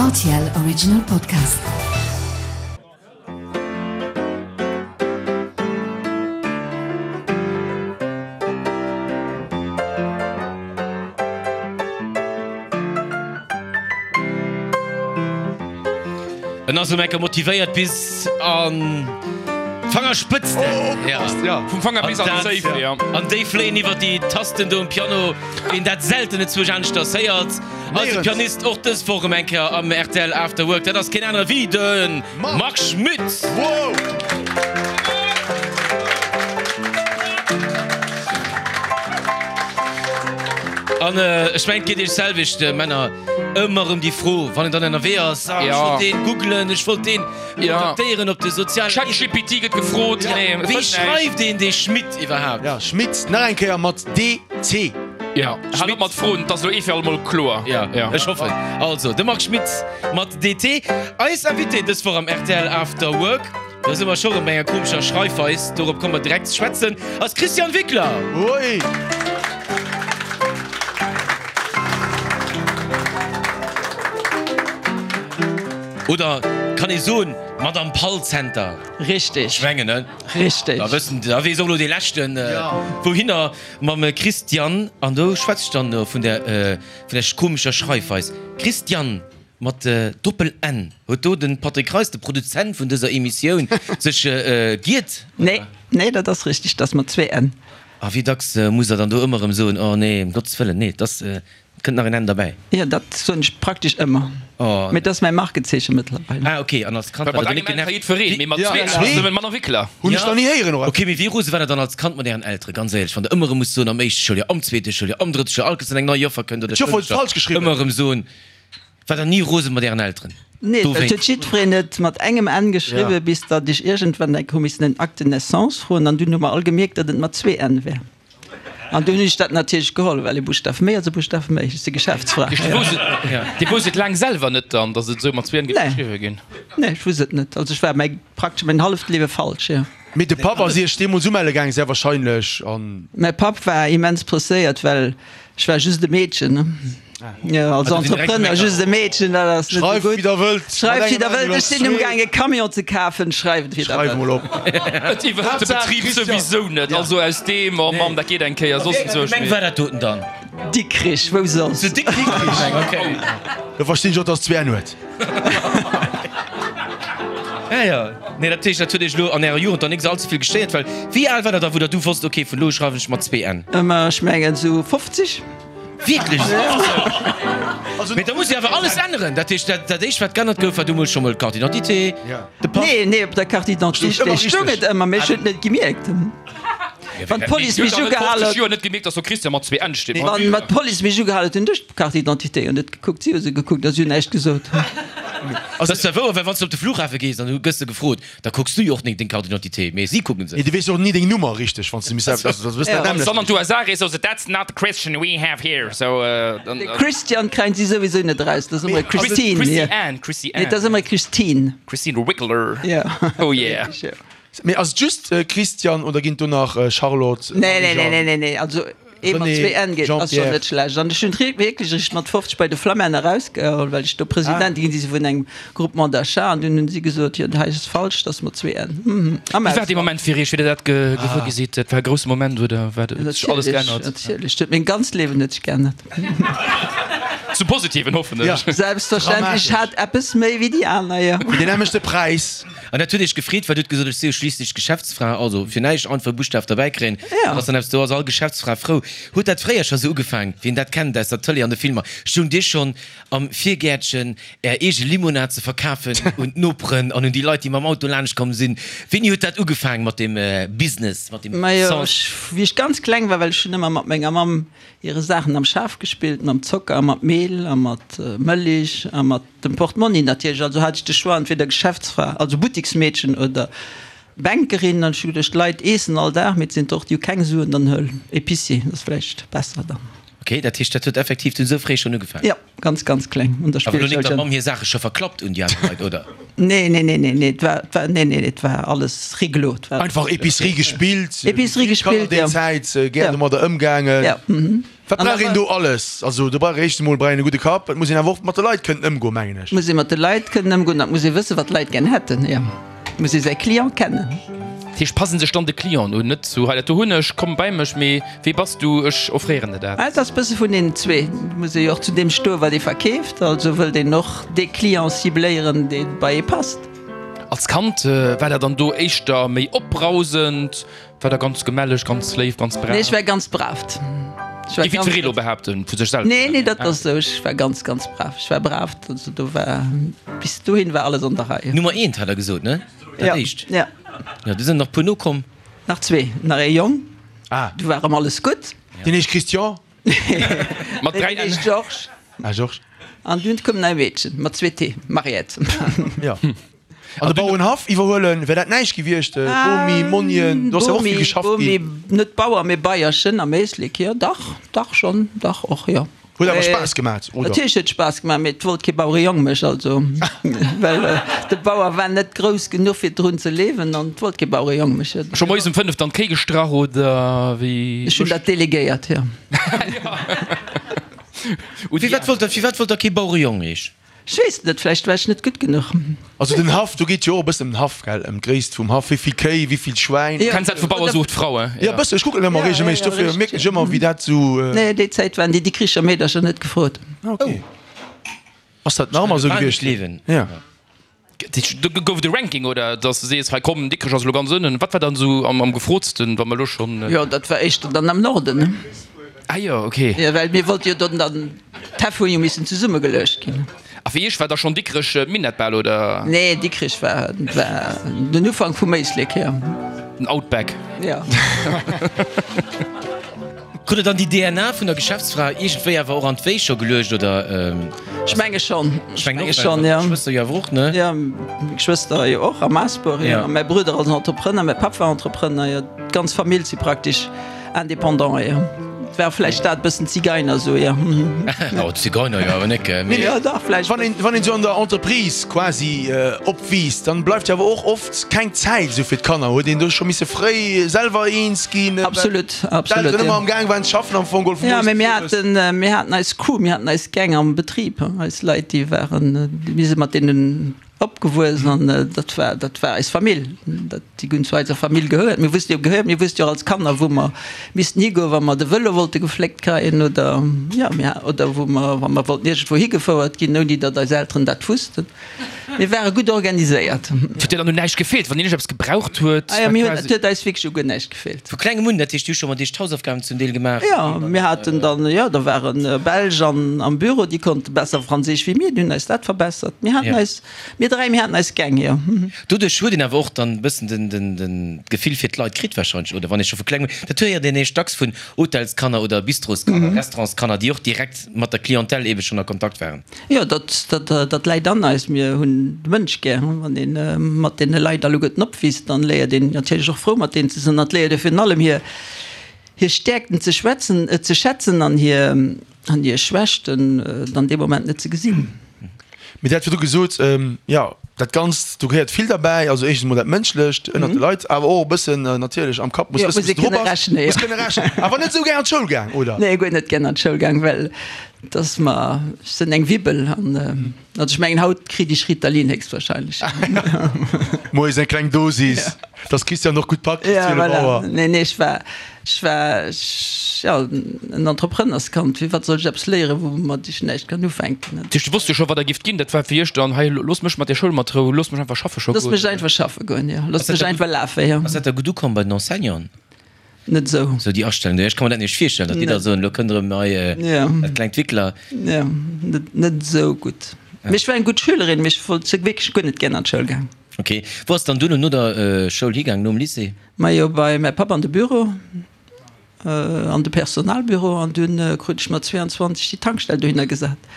Rtl Original Podcast. En ass um Enke motivéiert bis an d'Fangerspëtzten. Oh, Vum Fanger bis an d'Zéif, ja. An déi fléien iwwer déi Tasten do um Piano, wéi een dat selten enzwousch aneschters héiert. Eise Pianist och dës Woch erëm eng Kéier am rtl After Work, dat ass keen anere wéi de Marc Schmitt. Wow! An ech mengen, et geet iech selwecht, Männer, ëmmer erëm déi Fro, wann een dann ënnerwee ass, Ah, ech wollt deen googlen, ech wollt deen kontaktéieren op de sozialen. ChatGPT gëtt gefrot. Wéi schreift een dee Schmitt iwwerhaapt? Ja, Schmitt, nach eng Kéier mat DT. Ja, hal op mat Froen, et ass elo ee fir allemol kloer. Ja, ech hoffen. Also, de Marc Schmitt mat DT, eis Invité dës Woch am rtl After Work. Do si mer scho rëm bei enger komescher Schreifweis, dorop komme mer direkt ze schwätzen, ass d'Christiane Wickler. Oi! Oder kann ee soen, Madame Palzenter? Richteg. Ech mengen, ne? Richteg. Da wëssen, da weess och elo dee Leschten, wouhinner. Mam Christiane, an do schwätze ech dann vun der, vun der komescher Schreifweis, Christiane mat Doppel-N. Huet do de Patrick Reis, de Produzent vun dëser Emissioun, sech giert? Nee, nee, dat ass richteg, dat ass mat zwee N. A wéi dacks musst Der dann do ëmmer erëm soen, Oh nee, ëm Gottes Wëllen, nee, et ass, Et kënnt nach een Enn derbäi. Jo, dat soen ech praktesch ëmmer. Oh. Mee dat ass mäi Markezeeche mëttlerweil. Ah, ok. An als Kand war der do net genervt? Jiddwereen, mee mat zwee ass nëmmen manner Wéckler. Hunn ech nach ni héieren, och. Ok, mee wéi rose war der dann als Kand mat ären Elteren? Ganz éierlech, wann der ëmmer erëm musst soen, am éischte Schouljoer, am zweete Schouljoer, am drëtte Schouljoer, all Kéiers wann eng nei Joffer kënnt oder D'Joffer huet falsch geschriwwen. Ëmmer erëm soen, war der ni rose mat ären Elteren? Nee, et huet Dowéinst. jiddwereen et mat engem N geschriwwen, bis datt ech iergendwann eng hu missen en Acte de naissance froen an dunn hu mer all gemierkt, datt et mat zwee N wär. An dunn hunn ech dat natierlech geholl, well e Buschtaf méi ass e Buschtaf méi. Ech si Geschäftsfra. Dir wousst et laang selwer net dann, datt et esou mat zwee N géif geschriwwe ginn? Nee, ech wusst et net. Also ech war mäi, praktesch mäin halleft Liewe falsch, jo. Mee de Papp ass Iech deemools umelle gaangen, sehr wahrscheinlech, an. Mäi Papp war immens presséiert, well ech war just e Meedchen, ne? Jo, als Entrepreneur just e Meedchen, dat ass net esou gutt. Schreift wéi der wëllt. Schreift wéi der wëllt. Ech sinn umgaang e Camion ze kafen. Schreift wéi der Schreif mol wëllt. op. Et iwwerhëlt de Betrib souwisou net. Also aus deem, oh Mamm, dat geet eng Kéier, soss Wéi eng Gemeng war dat doten dann? Dikrich, wou soss? Zu Dikrich, okay. Da verstinn ech och, dass zwee N huet. Ja, ja. Nee, dat heescht, dat huet Iech elo an Ärer Jugend dann nik esou allze vill gestéiert, well wéi al war der da, wou der du wosst, okay, vun elo u schreiwen ech mat zwee N? Ma ech mengen esou 50. Wierklech? Also, mee da muss jo awer alles änneren. Dat heescht, dat, dat éischt, wat geännert gouf, war du mol scho mol d'Carte d'identité, de Pass. Nee, nee, op der Carte d'identité stoung et ëmmer, mee ech hunn et net gemierkt. Wann d'Police mech ugehal huet. Joer net gemierkt, dass do Christian mat zwee N steet. Wann d'Police mech ugehal huet, hunn ech d'Carte d'identité jo net gekuckt. Si hu se gekuckt a si hunn näischt gesot. Dat ass zwar wouer, well wann s de op de Flughafe gees an du gëss de gefrot, Da kucks du jo och ni deng Carte d'identité, mee si kucken se. Nee, du weess jo och ni deng Nummer richteg, wann s de misst, also dat wëss dat Wann s dann an d'USA rees, soe se, That's not the Christian we have here. So, dann. De Christian kréien si souwisou net eraus, dat ass ëmmer Christine. Chrissy Ann, Chrissy Ann. Nee, dat ass ëmmer Christine. Christine Wickler. Ja. Oh yeah. Mee ass et just Christian oder ginn et do nach Charlotte, Nee, nee, nee, Marie-Jeanne? nee, nee, nee, also ee mat René, zwee N geet, ass schonn Jean-Pierre. net schlecht. An ech hunn wierklech eréischt mat 50 bei de Flammänner erausgeholl, well ech do Presidentin ginn si vun engem Groupement d'achat an dunn hunn si gesot, jo hei ass falsch, dat ass mat zwee N. Mhm. Am Wéi war dee Moment fir Iech, wéi Der dat gewuer gi sidd? Dat war e grousse Moment, oder war huet sech alles geännert? Natierlech, natierlech, huet meng ganzt Liewen huet sech geännert. Zum Positiven, hoffen ech. Selbstverständlech, ech hat eppes méi wéi déi aner, jo. Fir deen nämmlechte Präis. An dat huet Iech gefreet, well Dir hutt gesot, ech si jo schliisslech Geschäftsfra, also fir näischt einfach e Buschtaf derbäi kréien, dat ass dann eppes, do ass all Geschäftsfra frou. Huet dat fréier scho sou ugefaang, wien dat kennt aus der Tëlee an de Filmer, stoung Dir schonn am Virgäertchen Är eege Limonad ze verkafen un d'Noperen an un déi Leit, déi mam Auto laanscht komm sinn? Wéini huet dat ugefaang mat dem Business, mat dem Majo, Sens? ech, wéi ech ganz kleng war, well ech hunn ëmmer mat menger Mamm hire Saachen am Schaf gespillt, mam Zocker a mat Mehl a mat Mëlich a mat dem Portmonni natierlech. Also hat ech de Choix, entweder Geschäftsfra, also Buttiksmeedchen oder Bänkerin. An ech hu geduecht, d'Leit eessen all Dag, mee et sinn der och, déi hu keng Suen, dann huel Épicier, dat ass vläicht besser dann. Ok, Ok, dat heescht dat huet effektiv dunn esou fréi schonn ugefaangen? Jo, ganz, ganz kleng un der Awer elo net Spillschoul der schonn. Mamm hir Saache scho verklappt un déi aner Leit, oder? Nee, nee, nee, nee, nee, et war, et war, nee, nee, et war alles rigolo, et war. Einfach Epicerie gespillt, Epicerie wéi vill Kanner gespillt, déi jo. Zäit gär Jo. domadder ëmgaangen. Jo, mhm. Wat An da brauch een war. do alles? Also do brauch ee éischt emol brauch een e gudde Kapp, et muss een awer och mat de Leit kënnen ëmgoen, mengen ech. Et muss ee mat de Leit kënnen ëmgoen an et muss ee wëssen, wat d'Leit gär hätten, jo. Et muss ee säi Client kennen. Dat heescht, passe sech dann de Clienten un, net sou, hei dat do hunn ech, komm bei mech, mee wee bass du, ech offréieren der dat. Et ass e bësse vun deenen zwee. Et muss ee jo och zu deem stoen, wat ee verkeeft. Also wëllt een och dee Client cibléieren, dee bei ee passt. Als Kand war dat dann do éischter méi opbrausend? War der ganz gemälleg, ganz léif, ganz brav? Nee, ech war ganz brav. Ech war ganz. Géif elo behaapten vu sech selwer? Nee, nee, dat ass esou. Ech war ganz, ganz brav. Ech war brav. Also do war, bis dohin war alles an der Rei. Nummer eent hat der gesot, ne? Dat éischt. Ja. Jo, do sinn nach puer nokomm. Nach zwee. Nach ee Jong. Ah. Du war erëm alles gutt. Deen heescht Christian? Mat 3 Deen heescht Georges. Ah, Georges. An dunn koum nach e Meedchen mat zwee T, Mariette. Ja. An de Bauerenhaff iwwerhuelen, wär dat näischt gewiescht? Bomi, Monien, do ass jo och vill geschafft ginn. Bomi, net Bauer, mee Beierchen am Éislek, jo, dach, dach schonn, dach och, jo. Huet awer Spaass gemat, oder? Natierlech huet Spaass gemaach, mee et wollt kee Bauerejong mech, also, well de Bauer war net grouss genuch fir drun ze leewen an et wollt kee Bauerejong mech. Scho moies um 5 dann d'Kéi gestrach, oder wéi? Ech hunn dat delegéiert, jo. Firwat wollt der, firwat wollt der kee Bauerejong heesch? Ech weess et net, vläicht war ech net gutt genuch. Also den Haff, do geet jo och e bëssen ëm den Haff, gell, ëm d'Gréisst vum Haff, wéi vill Kéi, wéi vill Schwäin. Jo. Kenns dat vu Bauer sucht Frau, hein? Jo, e bëssen, ech kucken ëmmer regelméisseg, dofir mierken ech ëmmer, wéi dat sou. Nee, déi Zäit waren déi Dikricher Meedercher net gefrot. Ah, ok. Ass dat nach ëmmer esou gewiescht? Jo. Do gouf et e Ranking, oder? Dass de sees, hei komm, Dikrech ass elo ganz ënnen. Wat war dann esou am gefrotsten, wa mer elo schonn. Jo, dat war éischter dann am Norden, ne? Ah jo, ok. Jo, well mir wollte jo dann, dann d'Häff hu jo missen zesummegeluecht ginn. A fir iech war da schonn Dikrech d'Minett bal, oder? Nee, Dikrech war, war den Ufank vum Éislek, jo. Den Outback. Jo. Krut der dann déi DNA vun der Geschäftsfra iergendwéi awer och an d'Wéi scho geluecht, oder? Ech menge schonn. Ech mengen och, well Geschwëster jo awer och, ne? Jo, meng Geschwëster jo och am Maasbuer, jo. A mäi Brudder ass Entrepreneur, mäi Papp war Entrepreneur, jo. D'ganz Famill si praktesch Indépendant, jo. Et war vläicht dat bëssen Zigeiner esou, jo. Oh, Zigeiner jo awer net, gell? Mee. Jo, dach, vläicht. Wann een, wann een esou an der Entreprise quasi opwiisst, dann bleift jo awer och oft keng Zäit esou fir d'Kanner. Huet een do scho misse fréi selwer eens ginn? Absolut, absolut, D'Elteren jo. ëmmer am Gaang waren ze schaffen am Fong geholl vu Ja, moies mee bis mir owes. haten, mir haten eis Crew, mir haten eis Gang am Betrib, eis Leit, déi waren, mir si mat deenen opgewuess an dat war, dat war eis Famill. Dat, déi hunn zu eiser Famill gehéiert. Mir wusste jo gehéiert, mir wusste jo och als Kanner, wou mer missten higoen, wa mer de Vëlo wollte gefléckt kréien oder, jo, mir, oder wou mer, wa mer wollten iergendwou higefouert ginn, ouni datt eis Elteren dat wussten. Mir ware gutt organiséiert. Et huet dir dann un näischt gefeelt, wann dir iergendeppes gebraucht huet? Ah jo, mir hunn, et huet eis wierklech u guer näischt gefeelt. Vu klengem un, dat heescht, dir hutt scho mat iech d'Hausaufgaben zum Deel gemaach? Jo, mir haten dann, jo, da ware Belsch an, am Büro, déi konnte besser Franséisch wéi mir, déi hunn eis dat verbessert. Mir haten eis, mir dräi, mir haten eis Gäng, jo. Doduerch huet een awer och dann e bëssen den, den, den, d'Gefill fir d'Leit kritt wahrscheinlech, oder? Wann ee scho vu klengem un, dat héiert een eréischt dacks vun Hotelskanner oder Bistroskanner, Restaurantskanner, déi och direkt mat der Clientèle eebe schonn a Kontakt waren. Jo, dat, dat, dat läit an eis. Mir hunn de Mënsch gär. Wann ee mat deene Leit alleguerten opwiisst, dann léiert een natierlech och frou mat deenen ze sinn. An et léiert ee virun allem hir, hir Stäerkten ze schwätzen, ze schätzen an hir, an hir Schwächten dann dee Moment net ze gesinn. Mee Dir hat virdru gesot, jo, dat Ganzt, do gehéiert vill derbäi, also éischtens emol dat Mënschlecht ënnert de Leit, awer och e bëssen natierlech am Kapp, muss wëssen, wou s de dru bass, muss kënne rechnen. Awer net esou gär an d'Schoul gaang, oder? Nee, guer net gär an d'Schoul gaang, well Dass mer, ech sinn eng Wibbel an, also ech mengen haut kritt ech Ritalin héchstwahrscheinlech. Moies eng kleng Dosis, dass d'Christiane och gutt packt bis Ja, 12 voilà. Auer. Nee, nee, ech war, ech war, ech, ja, en Entrepreneurskand. Fir wat soll ech eppes léieren, woumat ech näischt kann ufänken? Dat heescht, du wosst jo scho wat der gift ginn, dat war fir iech dann, hei looss mech mat der Schoul mat Rou, looss mech einfach schaffe scho Looss goen. mech einfach schaffe goen, jo, looss mech einfach lafen, jo. Ass dat da gutt ukomm bei den Enseignanten? Net esou. Sou déi Astellung do, ech ka mer dat nämlech virstellen, datt déi da soen, elo kënnt erëm hei dat klengt Wickler. Jo, net, net esou gutt. Mee ech war eng gutt Schülerin, mee ech wollt, sou wierklech guer net gär an d'Schoul gaang. Ok. Wou ass dann duerno no der Schoul higaang, nom Lycée? Majo, bei mäi Papp an de Büro, an de Personalbüro an dunn krut ech mat 22 déi Tankstell dohinner gesat,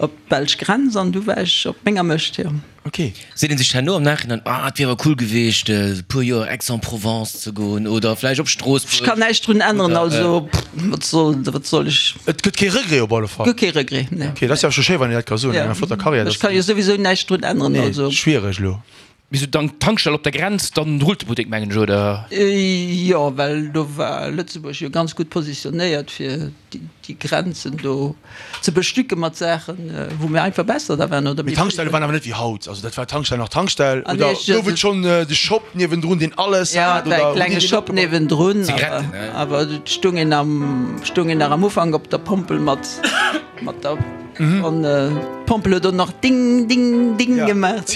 op d'belsch Grenz an du war ech op menger Mëscht, jo. Ok. Seet een sech herno am Nachhinein, ah et wier awer cool geweecht e puer Joer Aix-en-Provence ze goen oder vläicht op Stroossbuerg. Ech kann näischt drun änneren, also wat soll, wat soll ech. Et gëtt kee Regret op alle Fall. Gëtt kee Regret, nee. Ok, dat ass jo awer scho schéi wann een dat ka soen, no enger flotter Karriär. Ech ka jo souwisou näischt drun änneren, also. Nee, schwiereg elo. Mee sou dann d'Tankstell op der Grenz, dann rullt de Buttek mengen ech, oder? Jo, well do war Lëtzebuerg jo ganz gutt positionéiert fir déi Grenzen do ze bestücke mat Saachen, wou mir einfach besser da waren oder Mee d'Tankstelle waren awer net wéi haut, also dat war d'Tankstell nach Tankstell oder gouf et schonn de Shop niewendrun, deen alles hat? Jo, et war e klenge Shop niewendrun, awer et stung een am, stung een nach am Ufank op der Pompel mat, mat der. An d'Pompel huet och nach ding, ding, ding gemaach.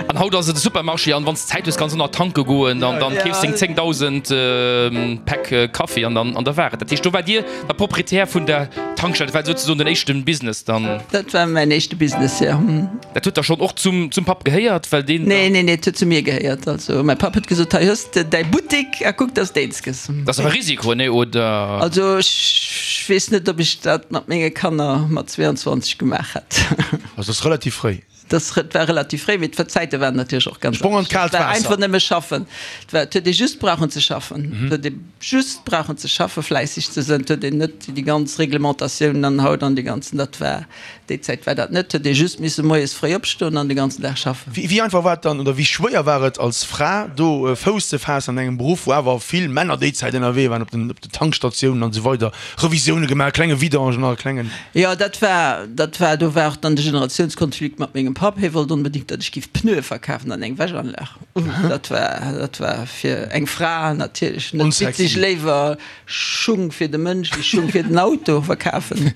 An haut ass et e Supermarché an wann s Zäit hues kanns du nach tanke goen an dann keefs deng 10.000 Päck Kaffi an dann an da war et. Dat heescht do waart Dir da Proprietär vun der Tankstell, dat war souzesoen den éischten Business dann? Dat war mäin éischte Business, jo. Dat huet da schonn och zum zum Papp gehéiert, well deen. Nee, nee, nee, et huet zu mir gehéiert. Also mäi Papp huet gesot, hei hues de däi Buttek a kuck, dass d'eens gëss. Dat ass awer e Risiko, nee, oder? Also ech weess net, ob ech dat mat menge Kanner mat 22 gemaach hätt. Also dat ass relativ fréi. Dat war relativ fréi, mee d'Zäite waren natierlech och ganz Sprong an d'kaalt Waasser. Et war einfach nëmme schaffen. Et war, et huet ee just brauchen ze schaffen. Et huet ee just brauchen ze schaffen, fläisseg ze sënn. Et huet een net déi ganz Reglementatiounen an haut an déi ganzen, dat war. Déi Zäit war dat net, huet ee just misse moies fréi opstoen an de ganzen Dag schaffen. Wéi einfach war et dann, oder wéi schwéier war et als Fra do Fouss ze faassen an engem Beruff, wou awer vill Männer déi Zäit ënnerwee waren, op den op den Tankstatiounen an esou weider, Revisioune gemaach, klenge Vidangen a klengen. Jo, dat war, dat war, do war och dann de Generatiounskonflikt mat mengem Papp. Hie wollt onbedéngt, datt ech giff Pneue verkafen an eng Wäschanlag. Dat war, dat war fir eng Fra natierlech net witzeg. Léiwer Schung fir de Mënsch wéi Schung fir den Auto verkafen.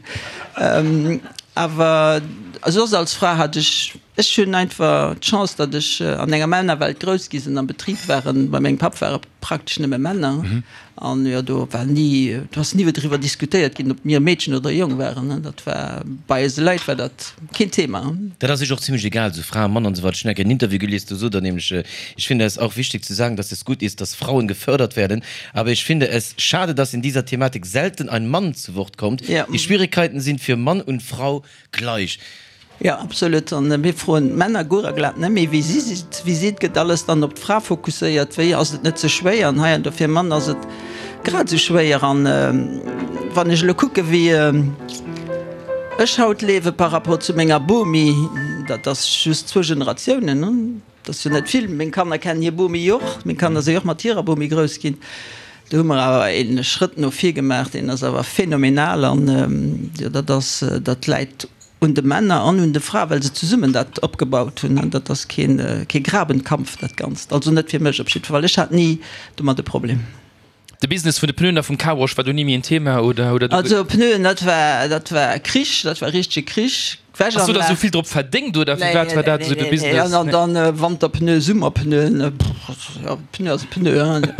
Awer soss als Fra hat ech, ech hunn einfach d'Chance, datt ech an enger Männerwelt grouss gi sinn, am Betrib waren, bei mengem Papp ware praktesch nëmme Männer an jo do war ni, do ass ni driwwer diskutéiert ginn, ob mir e Meedchen oder e Jong waren. Dat war bei eise Leit war dat keen Thema. Dat ass iech och zimmlech egal, esou Fra, Mann an esou weider. Ech hunn eng Kéier en Interview gelies, do sot Der nämlech, Ich finde es auch wichtig zu sagen, dass es gut ist, dass Frauen gefördert werden, Aber ich finde es schade, dass in dieser Thematik selten ein Mann zu Wort kommt. Ja. Die Schwierigkeiten sind für Mann und Frau gleich. Jo, absolut. An mir froen d'Männer guer a glat net méi, wéi si si, wéi si. Et gëtt alles dann op d'Fra fokusséiert. Wéi ass et net ze schwéier? An hei an do fir e Mann ass et grad esou schwéier. An wann ech elo kucke wéi ech haut liewe par rapport zu menger Bomi, dat ass just zwou Generatiounen, Dat ass jo net vill. Meng Kanner kennen hir Bomi jo och. Meng Kanner si jo och mat hirer Bomi grouss ginn. Do hu mer awer ee Schrëtt no vir gemaach, deen ass awer phänomenal. An jo, dat ass, dat läit un de Männer an un de Frae, well se zesummen dat opgebaut hunn. An dat ass keen, kee Grabenkampf, dat Ganzt. Also net fir mech op jiddwer Fall. Ech hat ni domat e Problem. De Business vun de Pneuen a vum Carwash war do ni méi en Thema, oder hutt Der do. Also Pneuen, dat war, dat war Krich, dat war richtege Krich. Ass do der esou vill drop verdéngt, oder firwat war dat esou de Business? Nee, an dann Wanterpneu, Summerpneuen, pff, jo, Pneu ass e Pneu, hein.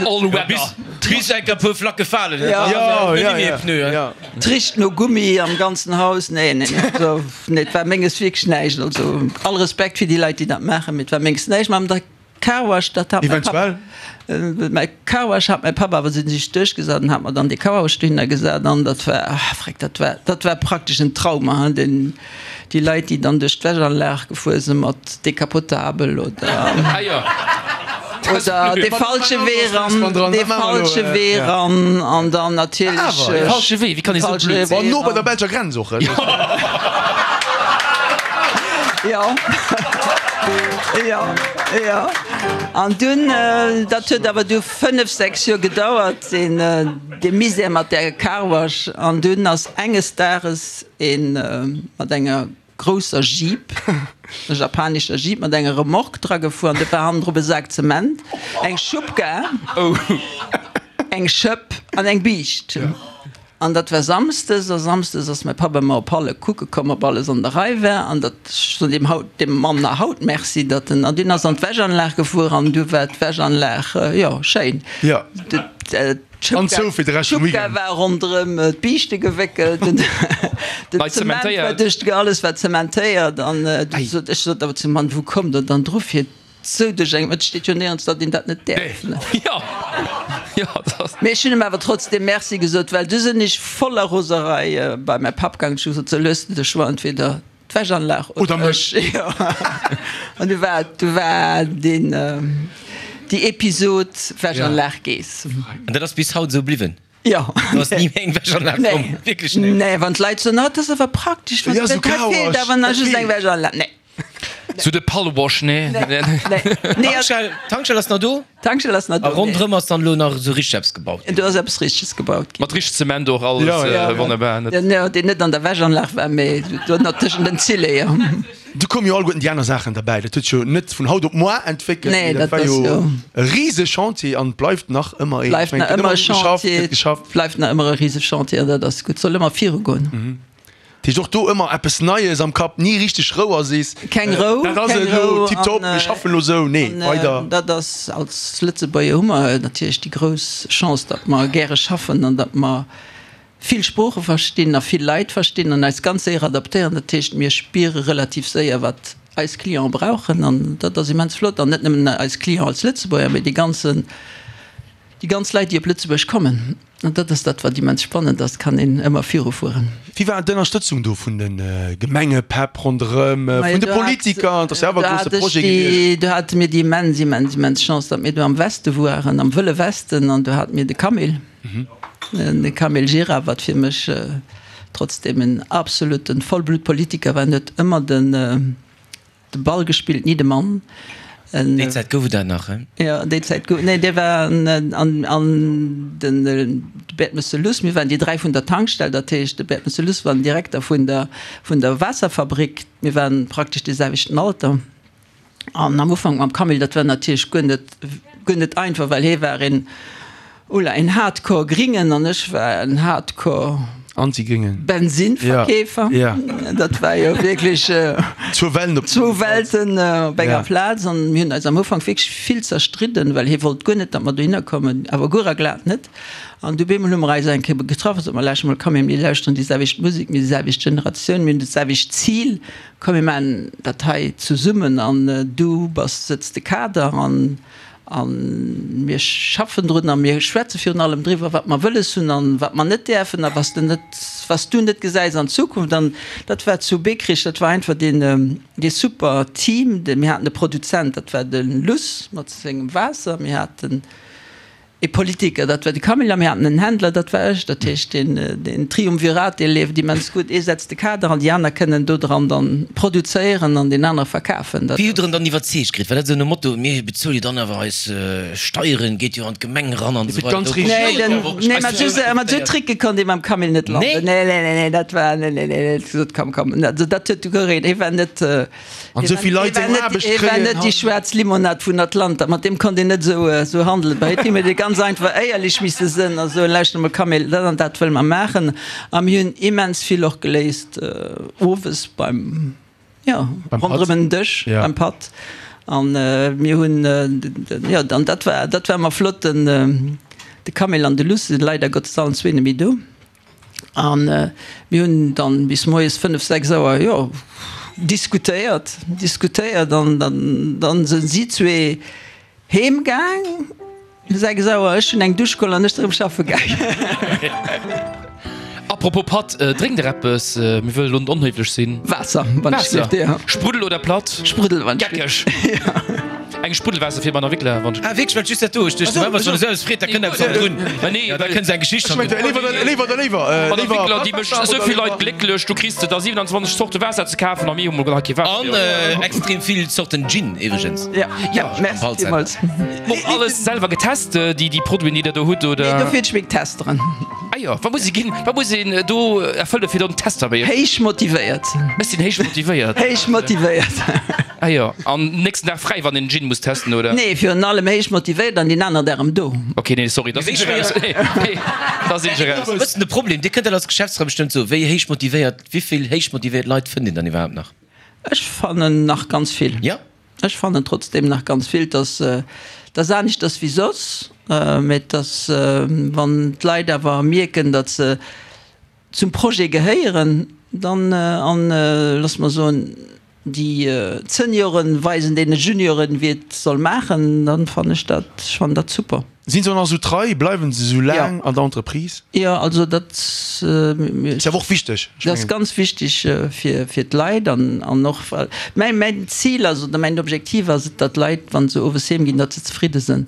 All weather. Bis enk e puer Flacke falen, dann ass et ni méi e Pneu, hein. Et richt no Gummi am ganzen Haus. Nee, nee, nee, also, nee, et war menges wierklech näischt. Also all Respekt fir déi Leit, déi dat maachen, mee et war menges näischt. Mä am Carwash, dat hat mäi Papp, mäi Carwash hat mäi Papp awer sech duerchgesat an hat mer dann dee Carwash dohinner gesat an dat war, ah freck, dat war, dat war praktesch en Trauma, hein, den, déi Leit, déi dann duerch d'Wäschanlag gefuer sinn mat Decapotabel oder, oder dee falsche Wee ran, dee falsche Wee ran an dann natierlech. Awer, dee falsche Wee, wéi kann ee sou blöd sinn? No bei der belscher Grenz och. Jo. Jo, jo. An dunn, dat huet awer du 5, 6 Joer gedauert, deen, dee Misär mat där Carwash. An dunn ass enges Dages ee mat enger grousser Jeep, e japanescher Jeep mat enger Remorque dra gefuer an do war hannendrop e Sak Zement, eng Schubkar, eng Schëpp an eng Biischt. An dat war Samsdes, a Samsdes ass mäi Papp ëmmer op Halle kucke komm, ob alles an der Rei war. An dat, ech soen deem haut, deem Mann nach haut Merci, datt en, an deen ass an d'Wäschanlag gefuer an du war d'Wäschanlag, jo, schéin. Jo. An zou fir de Rescht vum Weekend. D'Schubkar war ronderëm d'Biischte gewéckelt, den Zement war duerch, alles war zementéiert. An du sot, ech sot awer zum Mann, Wou kommt Der dann dru fir Sou duerch eng, et steet jo néierens, datt een dat net däerf. Mee ech hunn em awer trotzdem Merci gesot, well du sinn ech voller Roserei bei mäi Papp gaangen. Ech hu gesot, sou, elo hues de de Choix, entweder. D'Wäschanlag oder mech. Jo. An du war, du war deen, déi Episod Wäschanlag gees. An dat ass bis haut esou bliwwen? Jo. Do ass ni méi eng Wäschanlag komm? Nee. Wierklech net? Nee, wann d'Leit soen, oh, dat ass awer praktesch, wann dat hei feelt awer nach just eng Wäschanlag. Nee. Sou de Pallwash, nee? Nee, nee. Nee, Tankstell, Tankstell ass nach do? D'Tankstell ass nach do. A ronderëm ass dann elo nach esou richteg eppes gebaut ginn? Do ass eppes Richteges gebaut ginn. Mat richteg Zement och, alles wonnerbar. Jo, deen net an der Wäschanlag war, mee do nach tëschent den Zille, jo. Do koume jo alleguerten déi aner Saachen derbäi. Dat huet sech jo net vun haut op moar entwéckelt, Nee, mee dat dat war ass jo jo. e rise Chantier an et bleift nach ëmmer een. Ech Bleift mengen, nach et gëtt ëmmer ëmmer e geschafft, Chantier, gëtt geschafft. bleift nach ëmmer e rise Chantier an dat ass gutt. Soll ëmmer virugoen. Dat heescht och do ëmmer eppes Neies am Kapp, ni richteg Rou a sees, Keng Rou, dat ass keng et elo, Rou tiptop, an mir schaffen elo esou. Nee, weider. Dat ass, als Lëtzebuerger hu mer natierlech déi grouss Chance, datt mer gäre schaffen an datt mer vill Sprooche verstinn a vill Leit verstinn an eis ganz séier adaptéieren. Dat heescht, mir spiere relativ séier, wat eis Clienten brauchen an dat ass immens flott. An net nëmmen eis Clienten als Lëtzebuerger, mee déi ganzen, déi ganz Leit, déi op Lëtzebuerg kommen. An dat ass dat, wat immens spannend ass, kann een ëmmer virufueren. Wéi war d'Ënnerstëtzung do vun de Gemengepäpp ronderëm, vun de Politiker? Et ass jo awer e grousse Projet gewiescht. Do hate mir déi immens, immens, immens Chance, datt mir do am Weste woaren, am Wëlle Westen, an do hate mir de Camille, de Camille Gira, wat fir mech trotzdem en absoluten Vollblutpolitiker war, en huet ëmmer den, De Ball gespillt, ni de Mann. Déi Zäit gouf et dat nach, he? Jo, déi Zäit gouf, nee, dee war an, an den Bert Messelus, mir waren déi 3 vun der Tankstell, dat heescht, de Bert Messelus war den Direkter vun der, vun der Waasserfabrik, mir waren praktesch dee selwechten Alter. An am Ufank mam Camille, dat war natierlech guer net, guer net einfach, well hee war een, Ola, een Hardcore Gringen an ech war en Hardcore Anti-Gringen. Bensinverkeefer. Ja, ja. Dat war jo wierklech Zwou Welten op zwou Welten op enger Plaz an mir hunn eis am Ufank wierklech vill zerstridden, well hie wollt guer net, datt mer dohinner kommen, awer guer a glat net. An du bemol hu mer eis eng Kéier getraff a sot mer, Lauscht mol, komm mir lauschteren déi selwecht Musek, mir si selwecht Generatioun, mir hunn dat selwecht Zil, komm mir maachen dat hei zesummen an du bass, sëtz de Kader an A mir schaffen drun a mir schwätze virun allem driwwer, wat mer wëlles hunn an wat mer net däerfen a was de net, was du net gesäis an Zukunft. An dat war zu Beekrich, dat war einfach deen, dee super Team. Mir haten e Produzent, dat war de Luss mat sengem Waasser. Mir haten e Politiker, dat war de Camille, a mir haten en Händler, dat war ech. Dat heescht, deen, deen Triumvirat, dee leeft immens gutt. Ee setzt de Kader an déi aner kënnen dodran dann produzéieren an deen anere verkafen. Wéi hutt Der en dann iwwerzeegt kritt? War dat esou nom Motto, mir bezuele jo dann awer eis Steieren, geet jo an d'Gemeng eran an esou weider? Nee, den, nee, mat esou, mat esou Tricke konnt ee mam Camille net landen. Nee, nee, nee, nee, dat war, nee, nee, nee, nee, gesot, komm, komm, also dat huet du guer een, hie war net, An esou vill Leit eng Aarbecht kréien. Hie war net déi schwaarz Limonad vun Atlanta, mat deem konnt een net esou, esou handelen. Bei him huet ee ganz einfach éierlech misse sënn a soen, lauschter mol Camille, dat an dat wëlle mer maachen. A mir hunn immens vill och geléist owes beim, jo, ronderëm en Dësch, beim Patt. An mir hunn, jo, an dat war, dat war ëmmer flott. Den, de Camille an de Luss sinn leider Gottes allen zwee net méi do. An mir hunn dann bis moies 5, 6 Auer, jo, diskutéiert, diskutéiert an dann, dann sinn si zwee heem gaang, 6 Auer, ech hunn eng Dusch geholl an ech sinn erëm schaffe gaang. Apropos Patt, drénkt der eppes? Mir wëllen elo net onhéiflech sinn. Waasser, wann ech Waasser. dierft, jo. Spruddel oder platt? Spruddel, wann ech Geckeg. Eng Spruddelwaasser fir bei Wickler, wann ech. Ah wierklech, well just dat do, ech duecht, wa wann esou eppes freet, da kënnt eppes hannendrun. Mä nee, Ja, da kënnt eng Geschicht Ech mengt hannendrun. léiwer, léiwer oder léiwer, Bei der léiwer Wickler, déi mécht Waasser esou oder vill Leit léiwer. glécklech, du kriss de der 27 Zorte Waasser ze kafen a mir hu mol nach kee Waasser. An extrem vill Zorten Gin iwwregens. Ja, ja, merci Halbzeit. villmools. Och alles selwer getest, déi déi Produiten, déi der do hutt, oder? Nee, dofir hunn ech meng Testeren. Ah jo, wat muss ee ginn, wat muss een do erfëlle fir do en Tester bei iech? Héich motivéiert. Ech sinn héich motivéiert. Héich motivéiert. Ah jo, an nächsten Dag fräi wann een Gin muss testen, oder? Nee, virun allem héich motivéiert an deen aner Dag erëm do. Ok, nee, sorry, da sinn ech eraus. Nee, da sinn ech eraus. E bëssen de Problem, Dir kënnt dat als Geschäftsfra bestëmmt soen, wéi héich motivéiert, wéi vill héich motivéiert Leit fënnt een dann iwwerhaapt nach? Ech fannen nach ganz vill. Ja? Ech fannen trotzdem nach ganz vill, dass dass aneschters wéi soss, mä dass wann d'Leit awer mierken, datt se zum Projet gehéieren, dann an, loosse mer soen, déi Senioren weisen deene Junioren, wéi et soll maachen, dann fannen ech dat, ech fannen dat super. Sinn se och nach esou trei? Bleiwen se esou laang an der Entreprise? Jo, also dat. Ass jo awer och wichteg. Dat ass ganz wichteg fir d'Leit an och well mäin Zil ass oder mäin Objektiv ass et, datt d'Leit, wa se owes heem ginn, datt se zefridde sinn.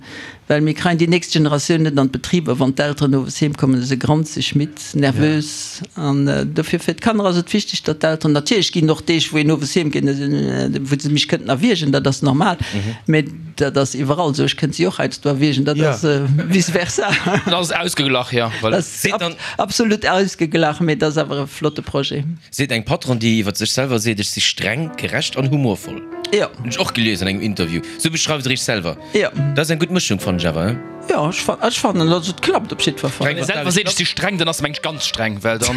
Well mir kreien déi nächst Generatioun net an d'Betriber, wann d'Elteren owes heem kommen, se granzeg, midd, nervös. An dofir fir d'Kanner ass et wichteg, datt d'Elteren, natierlech ginn och Deeg, wou een owes heem geet, wou se mech kënnten erwiergen, dat ass normal, mä dat ass iwwerall esou, ech kënnt si och heiansdo erwiergen, dat ass vice versa. Dat ass ausgeglach, jo, voilà. Dat ass absolut ausgeglach, mä dat ass awer e flotte Projet. Seet eng Patronne, déi iwwer sech selwer seet, Ech si streng, gerecht an humorvoll. Jo. Hunn ech och gelies an engem Interview. Sou beschreift Der Iech selwer. Jo. Dat ass eng gutt Mëschung, fannen ech awer, he? Jo, ech fan, ech fannen, also et klappt op jiddwer Fall. Wann ee selwer seet, ech si streng, dann ass se, meng ech, ganz streng, well dann.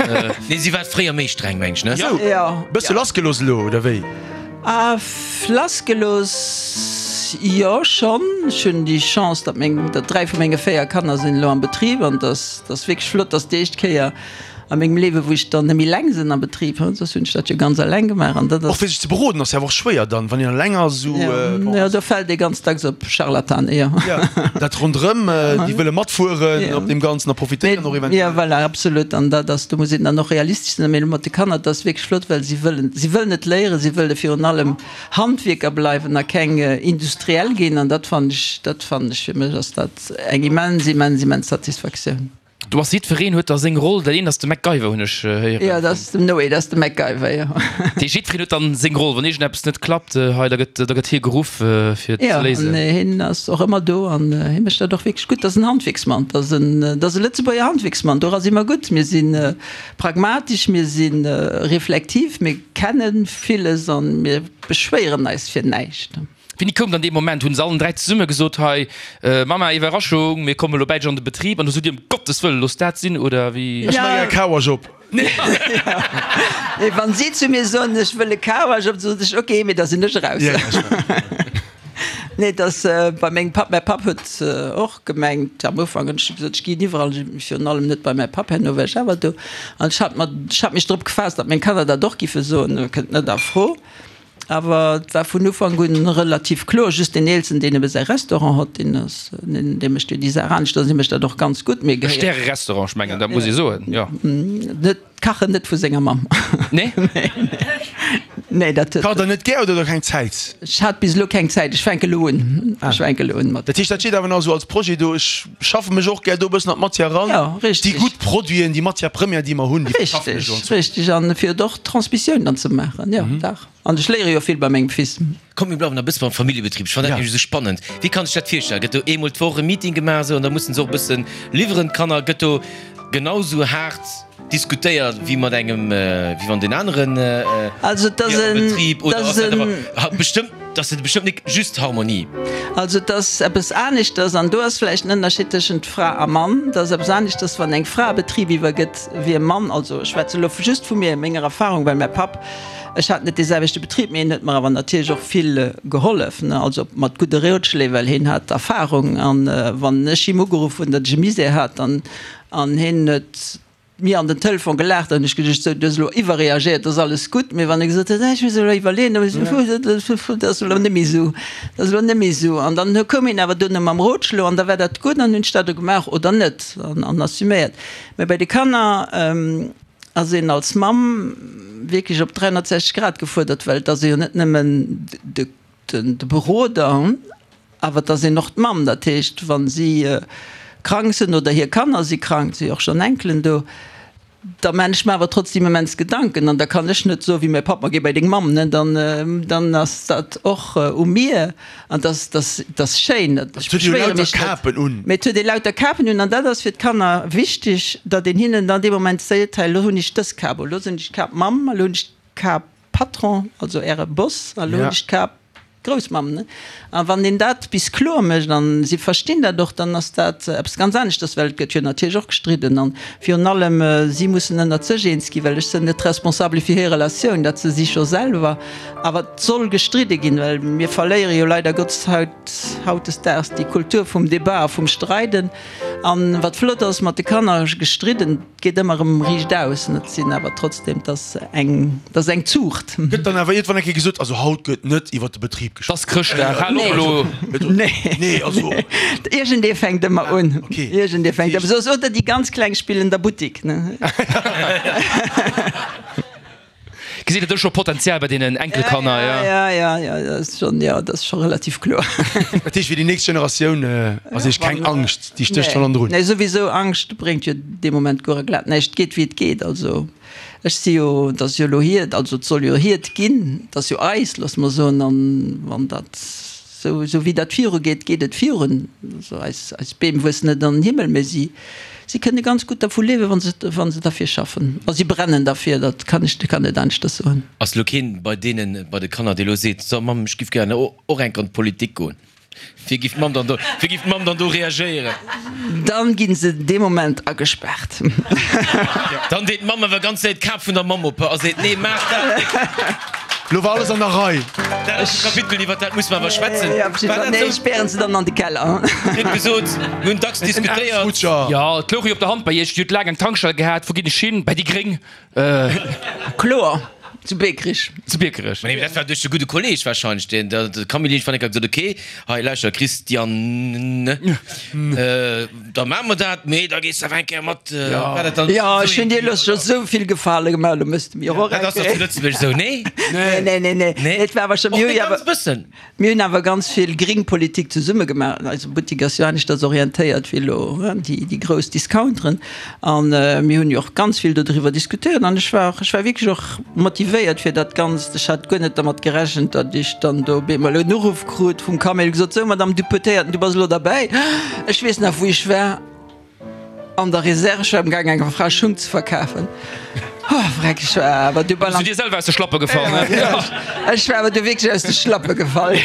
Nee, si war fréier méi streng, meng ech, ne? Sou, Jo. bësse lassgelooss elo, oder wéi? Ah, lassgelooss, jo, schonn. Ech hunn déi Chance, datt meng, datt 3 vu menge 4 Kanner sinn elo am Betrib an dass, dass wierklech flott, dass déi éischt Kéier A mengem Liewe wou ech dann net méi eleng sinn am Betrib, soss hunn ech dat jo ganz eleng gemaach an dat ass. Och fir sech ze beroden ass jo awer och schwéier dann, wann een eleng ass esou. Jo, do fält ee ganz dacks op Scharlatane, jo. Jo, dat ronderëm, déi wëlle matfueren op deem Ganzen a profitéieren och eventuell. Jo, voilà, absolut. An dat ass, do muss een dann och realistesch sinn. Mee elo mat de Kanner, dat ass wierklech flott, well si wëllen, si wëllen et léieren, si wëlle virun allem Handwierker bleiwen a keng Industriell ginn. An dat fannen ech, dat fannen ech, fir mech ass dat eng immens, immens, immens Satisfaktioun. Do ass jiddwereen huet da seng Roll. Dat eent ass de MacGyver, hunn ech héieren. Jo, dat ass dem Noé, dat ass de MacGyver, jo. Dee jiddwereen huet dann seng Roll. Wann iergendeppes net klappt hei, da gëtt, da gëtt hie geruff, fir et ze léisen. Jo, an hien ass och ëmmer do an hie mécht dat och wierklech gutt. Dat ass en Handwierksmann, dat ass en, dat ass e Lëtzebuerger Handwierksmann. Dora si mer gutt. Mir si pragmatesch, mir si reflektiv, mir kenne villes a mir beschwéieren eis fir näischt. Wéini koum dann dee Moment? Hunn se allen 3 zesumme gesot, hei Mamma, Iwwerraschung, mir kommen elo bäi dech an de Betrib an du sot dir, ëm Gottes Wëllen, looss dat sinn oder wéi? Ech maachen e Carwash op. Nee, wann si zu mir soen, ech wëll e Carwash op, sot ech, ok, mee da sinn ech eraus. Nee, et ass bei mengem Papp, mäi Papp huet och gemengt am Ufank, hunn ech gesot, ech ginn iwwerall, virun allem net bei mäi Papp, herno war ech awer do an ech hat mer, ech hat mech drop gefaasst, datt meng Kanner dat och giffe soen, kënnt net a Fro. Awer et war vun Ufank un relativ kloer, just deen Eelsten, deen ebe säi Restaurant hott, deen ass, dee mécht jo déi Saach anescht an hie mécht dat och ganz gutt. Mir E gehéiert. Stäre-Restaurant, ech mengen, dat muss ee soen, jo. Net, kachen net vu senger Mamm. Nee? Nee, nee, dat huet. Kacht der net gär oder huet der keng Zäit? Ech hat bis elo keng Zäit, ech fänke elo un, ech fänke elo un mat. Dat heescht, dat steet awer nach esou als Projet do, ech schaffe mech och gär do e bëssen an d'Matière eran. Jo, richtig. Déi gutt Produiten, déi Matière première, déi mer hunn, déi verschaffen ech elo an Zukunft. Richtig, richtig. An fir et och d'Transmissioun dann ze maachen, jo, dach. An ech léiere jo vill bei mengem Fils. Komm, mir bleiwen nach e bësse beim Familljebetrib. Ech fannen dat nämlech esou spannend. Wéi kann ech dat virstellen? Gëtt do eemol d'Woch e Meeting gemaach esou an da mussen se och e bëssen liwweren, d'Kanner? Gëtt do genau esou haart diskutéiert wéi mat engem, wéi wann deen aneren Also et ass wier am en, Betrib? Oder et ass ass dat en. awer bestëmmt, ass dat bestëmmt nik just Harmonie? Also et ass eppes aneschters, an do ass vläicht en Ënnerscheed tëschent Fra a Mann, et ass eppes aneschters, wann eng Fra e Betrib iwwergëtt wéi e Mann. Also ech schwätze elo just vu mir, menger Erfahrung, well mäi Papp, ech hat net dee selwechte Betrib, mee hien huet mer awer natierlech och vill gehollef, ne, also mat gudde Rotschléi, well hien hat Erfahrung. An wann ech him ugeruff hunn, datt ech e Misär hat, dann, an hien huet mir an den Telefon gelaacht an ech geduecht, sou, du hues elo iwwerreagéiert, et ass alles gutt. Mee wann e gesot huet, ech muss elo iwwerleeën, da hu ech gesot, dat ass elo net méi esou, dat ass elo net méi esou. An dann koum hien awer duerno mam Rotschlo an da war dat gutt an hunn ech dat elo gemaach oder net an assuméiert. Mee bei de Kanner ass een als Mamm wierklech op 360 Grad gefuerdert, well et ass ee jo net nëmmen de de Beroder, awer et ass een och d'Mamm. Dat heescht, wa si krank sinn oder hir Kanner si krank, et si jo och schonn Enkelen do, da maan ech mer awer trotzdem immens Gedanken. An da kann ech net soen, wéi mäi Papp, ma géi bei deng Mamm, ne, dann, dann ass dat och u mir. An dass, dass, dass schéin, ech beschwéiere mech net, mee et huet ee lauter Kapen un. An dat ass fir d'Kanner wichteg, datt een hinnen dann dee Moment seet, hei elo hunn ech dës Kap, elo sinn ech d'Kap Mamm, elo hunn ech d'Kap Patron, also Äre Boss, a lo hunn ech d'Kap Groussmamm, ne? A wann een dat bis kloer mécht, an si verstinn dat och, dann ass dat eppes ganz aneschters, well et gëtt jo natierlech och gestridden an virun allem si mussen ënnert sech eens ginn, well ech sënn net responsable fir hir Relatioun, dat se si scho selwer, awer et soll gestridde ginn, well mir verléiere jo leider Gottes haut, hautdesdaags déi Kultur vum Débat a vum Streiden. An wat flott ass, mat de Kanner gestridden, 't geet ëmmer erëm riicht aus, et sinn awer trotzdem, 't ass eng, 't ass eng Zuucht. Gëtt dann awer iergendwann eng Kéier gesot, also haut gëtt net iwwert de Betrib. Ekipp geschwat. T'ass Chrëschtdag, hal op elo! Nee. Nee, also. Iergendee fänkt ëmmer un. Okay. Iergendee fänkt ëmmer soss, oder déi ganz Kleng spillen der Buttik, ne? Gesitt Der do scho Potenzial bei deenen Enkelkanner? Ja, ja, ja, ja, dat ass schonn, jo, dat ass scho relativ kloer. Dat heescht, fir déi nächst Generatioun ass Iech keng Angscht, déi stécht schonn hannendrun? Nee, souwisou, Angscht bréngt jo dee Moment guer a glat näischt. Et geet, wéi et geet. Also ech si jo, et ass jo elo hiert, also et soll jo hiert ginn, et ass jo eis, loosse mer soen, an wann dat. Sou wéi dat virugeet, geet et virun. Also eis, eis Beem wuessen net an den Himmel, mä si, si kënne ganz gutt dervu liewen, wa se, wa se derfir schaffen. A si brennen derfir, dat kann ech, kann net aneschters soen. Ass elo keen bei deenen, bei de Kanner, dee elo seet, So Mamm, ech giff gären och enk an d'Politik goen? Wéi giff d'Mamm dann do, wéi giff d'Mamm dann do reagéieren? Dann ginn se dee Moment agespaart. Dann deet d'Mamm awer ganz séier d'Kap vun der Mamm op a seet, Nee, maach dat net! Lo war alles an der Rei. Dat ass e Kapitel, iwwer dat muss mer awer schwätzen. War dat esou? Spären se dann an de Keller. Dir hutt gesot, mir hunn dacks diskutéiert. Jo, et louch jo op der Hand bei Iech. Dir hutt laang eng Tankstell gehat. Wou ginn ech hin? Bei déi Gréng. Kloer, zu Biekerich. Zu Biekerech. Mä dat war duerch de gudde Kolleg wahrscheinlech, deen, de Camille Lynch van Eck hat gesot, okay, hei lauschter Christiane, da maache mer dat, mee da gees de awer eng Kéier mat. War dat dann Jo, ech hunn dir elo scho sou vill Gefale gemaach, elo mëss de mir och eng Dat ass dach zu Lëtzebuerg esou, nee? Nee, nee, nee, nee. Nee? Et war awer scho, mir hu jo awer. Ganz bëssen. Mir hunn awer ganz vill gring Politik zesumme gemaach. Eise Buttik ass jo aneschters orientéiert wéi elo déi grouss Discounteren. A mir hunn jo och ganz vill dodriwwer diskutéiert. An ech war och, ech war wierklech och motivéiert fir dat Ganzt. Ech hat guer net dermat gerechent, datt ech dann do op eemol en Uruff krut vum Camille, gesot, Sou, Madame Deputéierten, du bass elo derbäi. Ech weess nach, wou ech war. An der Reserve, ech war am gaang enger Fra Schung ze verkafen. Oh vreck, ech war awer du bal. Bass du dir selwer aus de Schlappe gefall, ne? Ech war awer du wierklech aus de Schlappe gefall.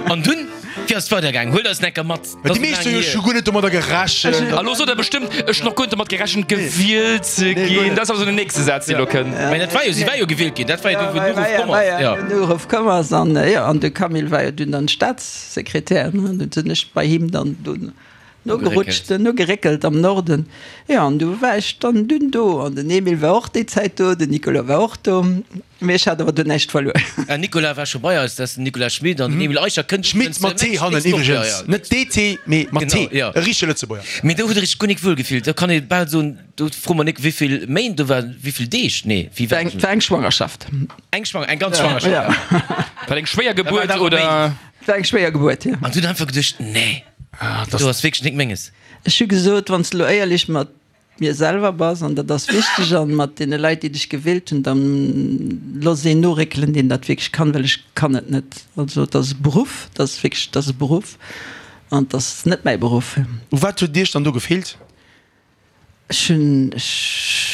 An dunn, wéi ass et weider gaang? Huelt eis enker mat. Déi meescht hu jo scho guer net domadder gerechent. A lo sot der bestëmmt, ech hunn och guer net domat gerechent gewielt ze ginn. Dat ass awer sou den nächste Saz, deen elo kënnt. Mä dat war jo, si war jo gewielt ginn, dat war jo du, wou den Uruff komm ass. Jo, den Uruff komm ass an jo, an de Camille war jo dunn dann Staatssekretär, ne? Dunn sinn ech bei him dann dunn. Nogerutscht, nogeréckelt am Norden. Jo, an du war ech dann dunn do. An den Emile war och déi Zäit do, den Nicolas war och do. Mee ech hat awer dunn näischt verluer. Ah, Nicolas war scho bei eis, dat ass den Nicolas Schmit an den Emile Eicher kënnt. Schmit mat T hannen iwwregens, net DT, mee mat T, e richtege Lëtzebuerger. Mee do hutt Der Iech guer nik wuel gefillt. Do kann ee bal soen, do froe mer nik, wéivill Méint do waren, wéivill Deeg, nee, wéi war et? War eng Schwangerschaft. Eng Schwanger, eng ganz Schwangerschaft. War et eng schwéier Gebuert, oder? War eng schwéier Gebuert, jo. An du hutt einfach geduecht, nee. Do ass wierklech nik menges. Ech hu gesot, wann s de elo éierlech mat mir selwer bass, an dat ass wichteg, an mat deene Leit, déi dech gewielt hunn, dann looss een noréckelen, deen dat wierklech kann, well ech kann et net. Also et ass e Beruff, et ass wierklech, et ass e Beruff an et ass net mäi Beruff. U wat huet Iech dann do gefeelt? Ech hunn, ech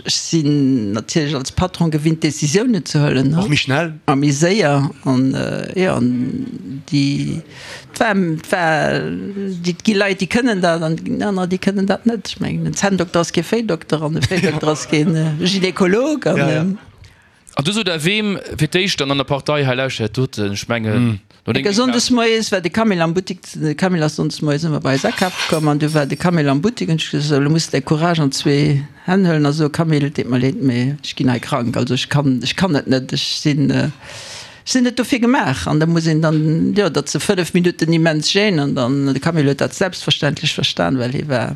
sinn natierlech als Patron gewinnt Décisiounen ze huelen. Och méi schnell. A méi séier. An jo, an déi, et war, et war, et gi Leit, déi kënnen dat an et ginn anerer, déi kënnen dat net. Ech mengen, en Zänndokter ass kee Véidokter an e Véidokter ass kee Gynekolog. An. An du sot der weem fir d'éischt dann an der Partei, hei lauschtert dat doten, ech mengen no dengem Sonndes moies war de Camille am Buttik, de Camille ass sonndes moies ëmmer bei eis akafe komm an du war de Camille am Buttik an ech gesot, sou elo muss de däi Courage an zwee Hänn huelen a soe Camille, et deet mer leed, mee ech ginn hei krank, also ech kann, ech kann et net, ech sinn, ech sinn net dofir gemaach. An da muss een dann, jo, datt se 5 Minutten immens Gêne an dann, de Camille huet dat selbstverständlech verstan, well hie war.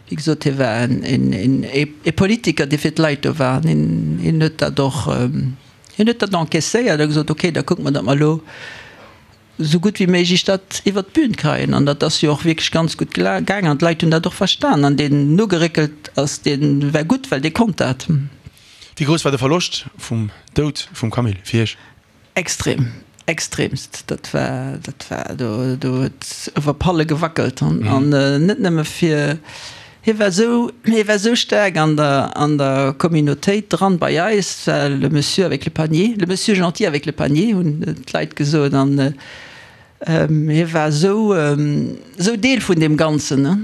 Wéi gesot, hie war e Politiker, dee fir d'Leit do war. An hien huet dat och, hien huet dat encaisséiert a gesot, okay, da kucke mer, datt mer elo esou gutt wéi méiglech dat iwwert d'Bün kréien. An dat ass jo och wierklech ganz gutt gaangen an d'Leit hunn dat och verstan. An deen nogeréckelt ass, dee war gutt, well dee konnt dat. Wéi grouss war de Verloscht vum Doud vum Camille fir Iech? Extrem, extremst. Dat war, dat war, do, do huet iwwer Palle gewackelt an, an net nëmme fir, hie war esou, hie war esou staark an der, an der Communautéit dran bei eis, war le Monsieur avec le panier, le Monsieur gentil avec le panier hunn d'Leit gesot an hie war esou, esou Deel vun deem Ganzen, ne.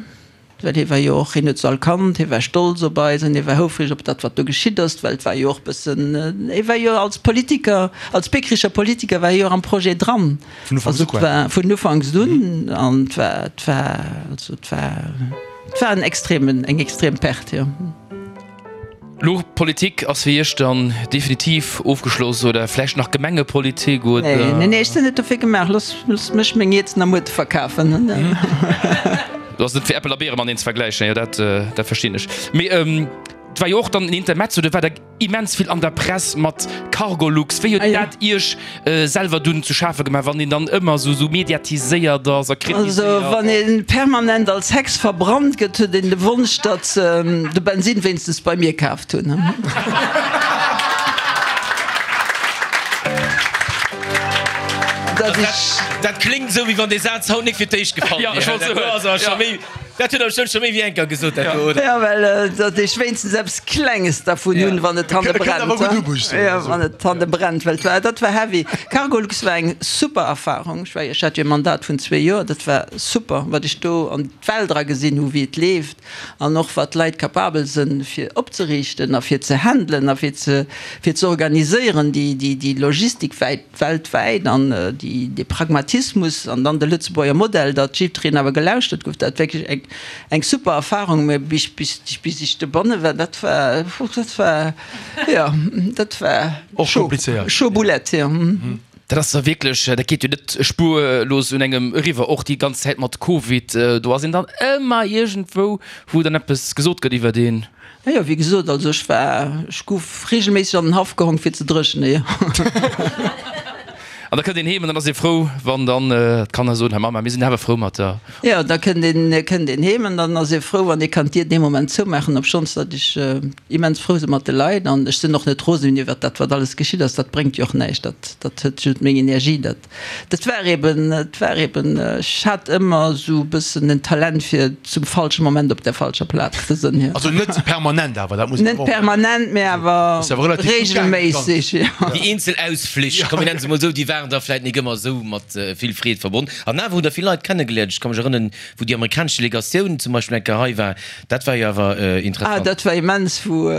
Well hie war jo och, hien huet se all kannt, hie war stolz op eis an hie war houfreg op dat, wat do geschitt ass, well et war jo och bëssen, hie war jo als Politiker, als Biekerecher Politiker war hie jo och am Projet dran. Vun Ufanks u quasi. Also et war vun Ufanks un an et war, et war, also et war, et war en extremen, eng extrem Perte, jo. Lo Politik ass fir Iech dann definitiv ofgeschloss oder vläicht nach Gemengepolitik oder? Nee, nee, nee, ech sinn net dofir gemaach. Looss, looss mech meng Ierzen a Muerte verkafen. Do ass net fir Äppel a Biere mateneen ze vergläichen, jo dat, dat verstinn ech. Mee et war jo och dann en Intermezzo, do war der immens vill an der Press mat Cargolux. Wéi huet dat Iech selwer dunn zu schafe gemaach, wann een dann ëmmer esou esou mediatiséiert ass a kritiséiert? Also wann ee permanent als Hex verbrannt gëtt, huet een de Wonsch, datt se de Bensin wéinstens bei mir kaaft hunn. Dat dat kléngt esou, wéi wann dee Saz haut nik fir d'éischt gefall wier. Dat huet der bestëmmt scho méi wéi eng Kéier gesot, dat do, oder? Jo, well datt ech wéinstens eppes Klenges dervun hunn, wann et hanne brennt. Jo, wann et hanne brennt, well war, dat war heavy. Cargolux war eng super Erfahrung. Ech war, ech hat jo e Mandat vun zwee Joer, dat war super, wat ech do an d'Welt era gesinn hu wéi et leeft an och wat d'Leit capabel sënn fir opzeriichten a fir ze handelen a fir ze, fir ze organiséieren, déi, déi, déi Logistik wäit. Weltwäit an déi, dee Pragmatismus an dann de Lëtzebuerger Modell, datt jiddwereen awer gelauschtert gouf, dat wierklech eng, eng super Erfahrung. Mä bis, bis, bis ech dobonne war, dat war, dat war, jo, dat war Och chaud, komplizéiert. chaud boulette, jo. Dat ass da wierklech, dat geet jo net spuerlos un engem eriwwer, och déi ganz Zäit mat Covid, do ass een dann ëmmer iergendwou, wou dann eppes gesot gëtt iwwert een. Jo, wéi gesot, also ech war, ech gouf regelméisseg an den Haff gehong fir ze dréchnen, jo. An da kënnt een heem an dann ass ee frou, wann dann d'Kanner soen, Här Mamma, mir sinn awer frou mat der. Jo, da kënnt een, kënnt een heem an dann ass ee frou, wann ee kann d'Dier dee Moment zoumaachen, obschonns datt ech immens frou si mat de Leit an ech sinn och net rosen iwwert dat, wat alles geschitt ass. Dat bréngt jo och näischt, dat, dat hëlt just meng Energie, dat. Dat war eben, et war eben, ech hat ëmmer esou e bëssen en Talent fir zum falsche Moment op der falscher Plaz ze sënn, jo. Also net permanent awer, dat muss een Net och. permanent, mee awer Ass awer relativ gutt gaangen, dat Ganzt. regelméisseg, jo. Déi eenzel Ausflich, komm mir nennen se mol esou, déi waren da vläit nik ëmmer esou mat vill Freed verbonn. An awer hutt Der vill Leit kennegeléiert. Ech ka mech erënnen, wou déi amerikanesch Delegatioun zum Beispill eng Kéier hei war, dat war jo awer Ah, interessant. dat war immens, wou,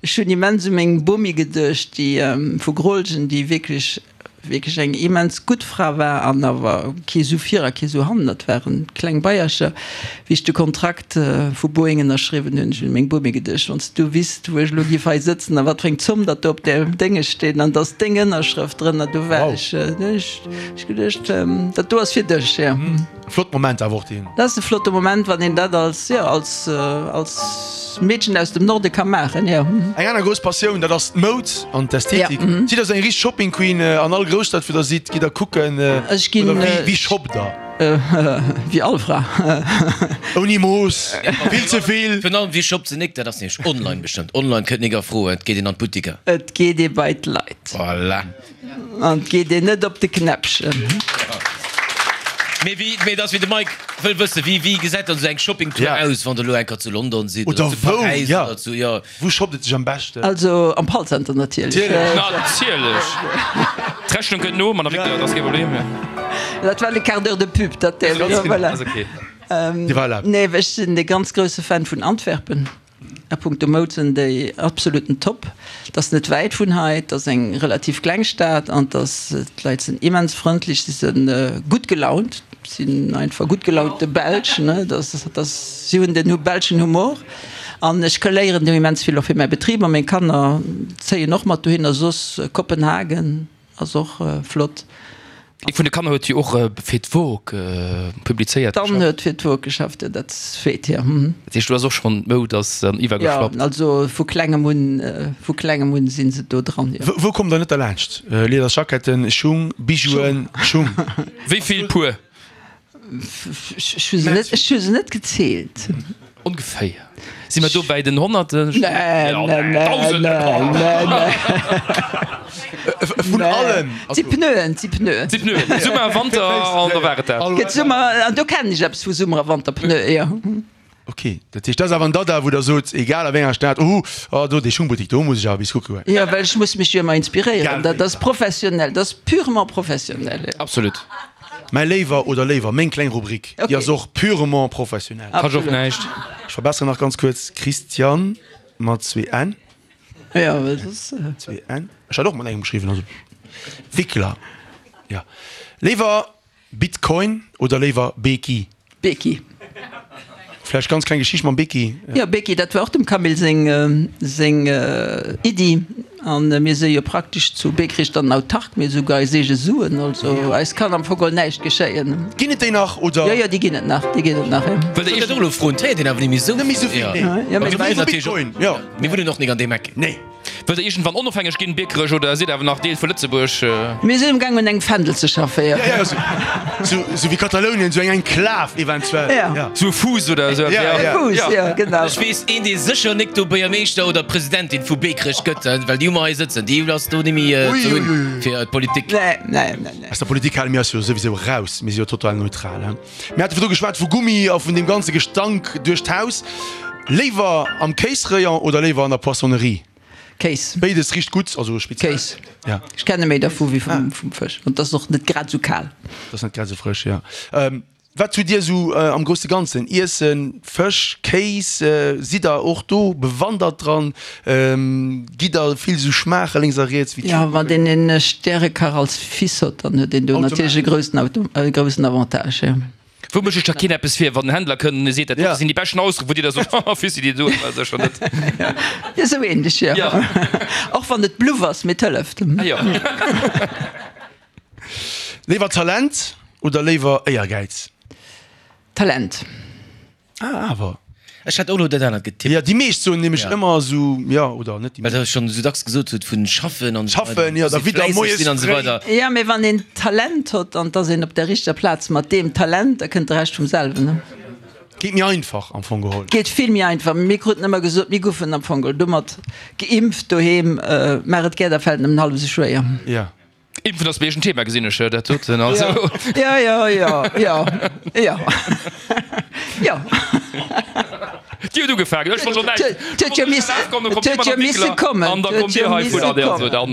ech hunn immens u meng Bomi geduecht, déi vu Grolgen, déi wierklech wierklech eng immens gutt Fra war an awer kee Su vir a kee Su hannen, dat waren kleng Beiercher. Wéi ech de Kontrakt vu Boeing ënnerschriwwen hunn, ech hunn u meng Bomi geduecht, wann s du wisst, wou ech elo giff hei sëtzen a wat fir eng Zomm datt do op där Dénge steet an dass deng Ënnerschrëft drënner, do war ech, do hunn ech geduecht, dat do ass fir dech, jo. Flott Moment awer och deen. Dat ass e flotte Moment, wann een dat als, jo, als, als Meedchen aus dem Norde ka maachen, jo. Eng aner grouss Passioun, dat ass d'Moud an d'Ästhetik. Sidd der sou eng richteg Shopping Queen an all Grousstad wou der sidd, gitt der kucken Ech ginn. Oder wéi, wéi shoppt der? Wéi all Fra. Ouni Mooss, vill ze vill. Virun allem, wéi shoppt se nik? Dat ass nämlech online bestëmmt. Online kënnt nik a Fro, et geet een an d'Buttiker. Et geet ee bei d'Leit. Voilà. An et geet een net op de Knäppchen. Mee wéi, mee et ass wéi de Mike wëll wëssen, wéi, wéi gesäit dann esou eng Shoppingtour Ja. aus, wann der elo eng Kéier zu London sidd Oder oder zu wou, Paräis ja. oder zu, jo. Wou shoppt et sech am beschten? Also am Pall Center natierlech. Natierlech. Natierlech! D'Rechnung kënnt no, Madame Wickler, dat ass kee Problem. Dat war le quart d'heure de pub, dat, voilà. Ass ok. Déi war erlaabt. Nee, ech sinn e ganz grousse Fan vun Antwerpen. A punkto Moud sinn déi absoluten Top. Et ass net wäit vun hei, et ass eng relativ kleng Stad an et ass, d'Leit sinn immens frëndlech, si sinn gutt gelaunt, sinn einfach gutt gelaunte Belsch, ne, dat ass, si hunn den belschen Humor an ech léieren do immens vill och fir mäi Betrib a meng Kanner zéien och mat dohinner. Soss Kopenhagen. Ass och flott. Ee vun de Kanner huet jo och fir d'Vogue publizéiert. D'Anne huet fir d'Vogue geschafft, jo, dat zweet, jo. Dat heescht, do ass och schonn d'Moud ass dann iwwergeschwappt. Jo, also vu klengem un, vu klengem un si se do dran, jo. Wou kommt der net derlaanscht? Liederjacketten, Schung, Bijouen, Schung. Wéi vill Puer? Ech hu se net, ech hu se net gezielt. Ongeféier. Si mer do bäi den Honnerten? Nee, nee, nee, nee, nee. Vun allem. Et si Pneuen, et si Pneuen. Et si Pneuen. Summer a Wanter an da war et dat. Gëtt Summer, an do kennen ech eppes vu Summer a Wanterpneuen, jo. Ok, dat heescht, dat ass awer en Dada, wou Der sot, egal a wéi enger Stad, oh, oh, do dee Schungbuttik, do muss ech awer bis kucke goen. Jo, well ech muss mech jo ëmmer inspiréieren. Egal Dat wéi. ass professionell, dat ass purement professionell, jo. Absolut. Mäi Léiwer oder Léiwer, meng kleng Rubrik, déi ass och purement professionell. Kascht och näischt. Ech verbesseren nach ganz kuerz, Christiane mat zwee N. Jo, well soss. Zwee N. Ech hat och mat engem geschriwwen, also Wickler, jo. Léiwer Bitcoin oder léiwer Beki? Beki. Vläicht ganz kleng Geschicht mam Beki. Jo, Beki, dat war och dem Camille seng, seng Iddi. An mir si jo praktesch zu Beekrich dann autark, mir hu souguer eis eege Suen, also eis kann am Fong geholl näischt geschéien. Ginn et déi nach, oder? Jo, jo, déi ginn et nach, déi ginn et nach, jo. Wëllt Der Iech och elo froen, d'héiert een awer net méi esou Net méi esou vill, nee. Jo, mee bei Bitcoin, jo. Mir wunnen och nik an deem Eck. Nee. Wëllt Der iergendwann onofhängeg ginn, Biekerech, oder sidd awer nach Deel vu Lëtzebuerg? Mir sinn amgaang un engem Fändel ze schaffen, jo. Jo, jo, sou, sou wéi Katalounien, sou eng Enklav eventuell. Jo. Sou e Fuuss oder esou eppes, jo. E Fuuss, jo, genau. Ech weess een, dee sécher nik do Buergermeeschter oder Presidentin vu Beekrech gëtt, well déi hu mer hei sëtzen, déi ass do nimmi ze hunn fir d'Politik. Nee, nee, nee, nee. Aus der Politik hale mir eis jo souwisou eraus, mir si jo total neutral, he. Mir hate virdru geschwat vu Gummi a vun deem ganze Gestank duerch d'Haus. Léiwer am Kéisrayon oder léiwer an der Poissonnerie? Kéis. Béides richt gutt, also speziell. Kéis. Ja. Ech kenne méi dervu wéi vum, vum Fësch. An 't ass och net grad esou kal. 't ass net grad esou frësch, jo. Wat hutt Dir esou am grousse Ganzen? Iessen, Fësch, Kéis, sidd Der och do bewandert dran? Gitt Der vill esou schmaache lénks a riets wéi Jo, wann een een Stärekach als Fils hott, dann huet een do natierlech e groussen Auto, e groussen Avantage, jo. Wou mécht ech da keen eppes vir, wann den Händler kënnt an e seet, dat dote sinn déi beschten Austeren, wou Dir da sot, haha Fissi, déi doen mer sécher net. Jo, esou ähnlech, jo. Och wann et Bluff ass, mee et hëlleft. Ah jo. Léiwer Talent oder léiwer Éiergäiz? Talent. Ah, awer. Ech hätt och elo dat anert getippt. Jo, déi meescht soen nämlech ëmmer esou, jo, oder net déi Well meescht. der schonn esou dacks gesot hutt vun schaffen an esou weider, Schaffen, jo, da muss ee widder fläisseg moies sinn an esou fréi. weider. Jo, mee wann een Talent hott an 't ass een op der richteger Plaz mat deem Talent, da kënnt de Rescht vum selwen, ne? Geet méi einfach am Fong geholl. Geet vill méi einfach. Mir kruten ëmmer gesot, mir goufen am Fong geholl domat geimpft doheem, maach et gär, da fält en nëmmen hallef esou schwéier. Jo. Impfen ass bei iech en Thema, gesinn ech dat doten. Also. Ja, ja, ja, ja, ja, ja. Dir hutt ugefaangen, ech wollt schonn näischt. Et huet jo misse, et huet jo misse kommen. An da kommt Dir hei vun an also dann.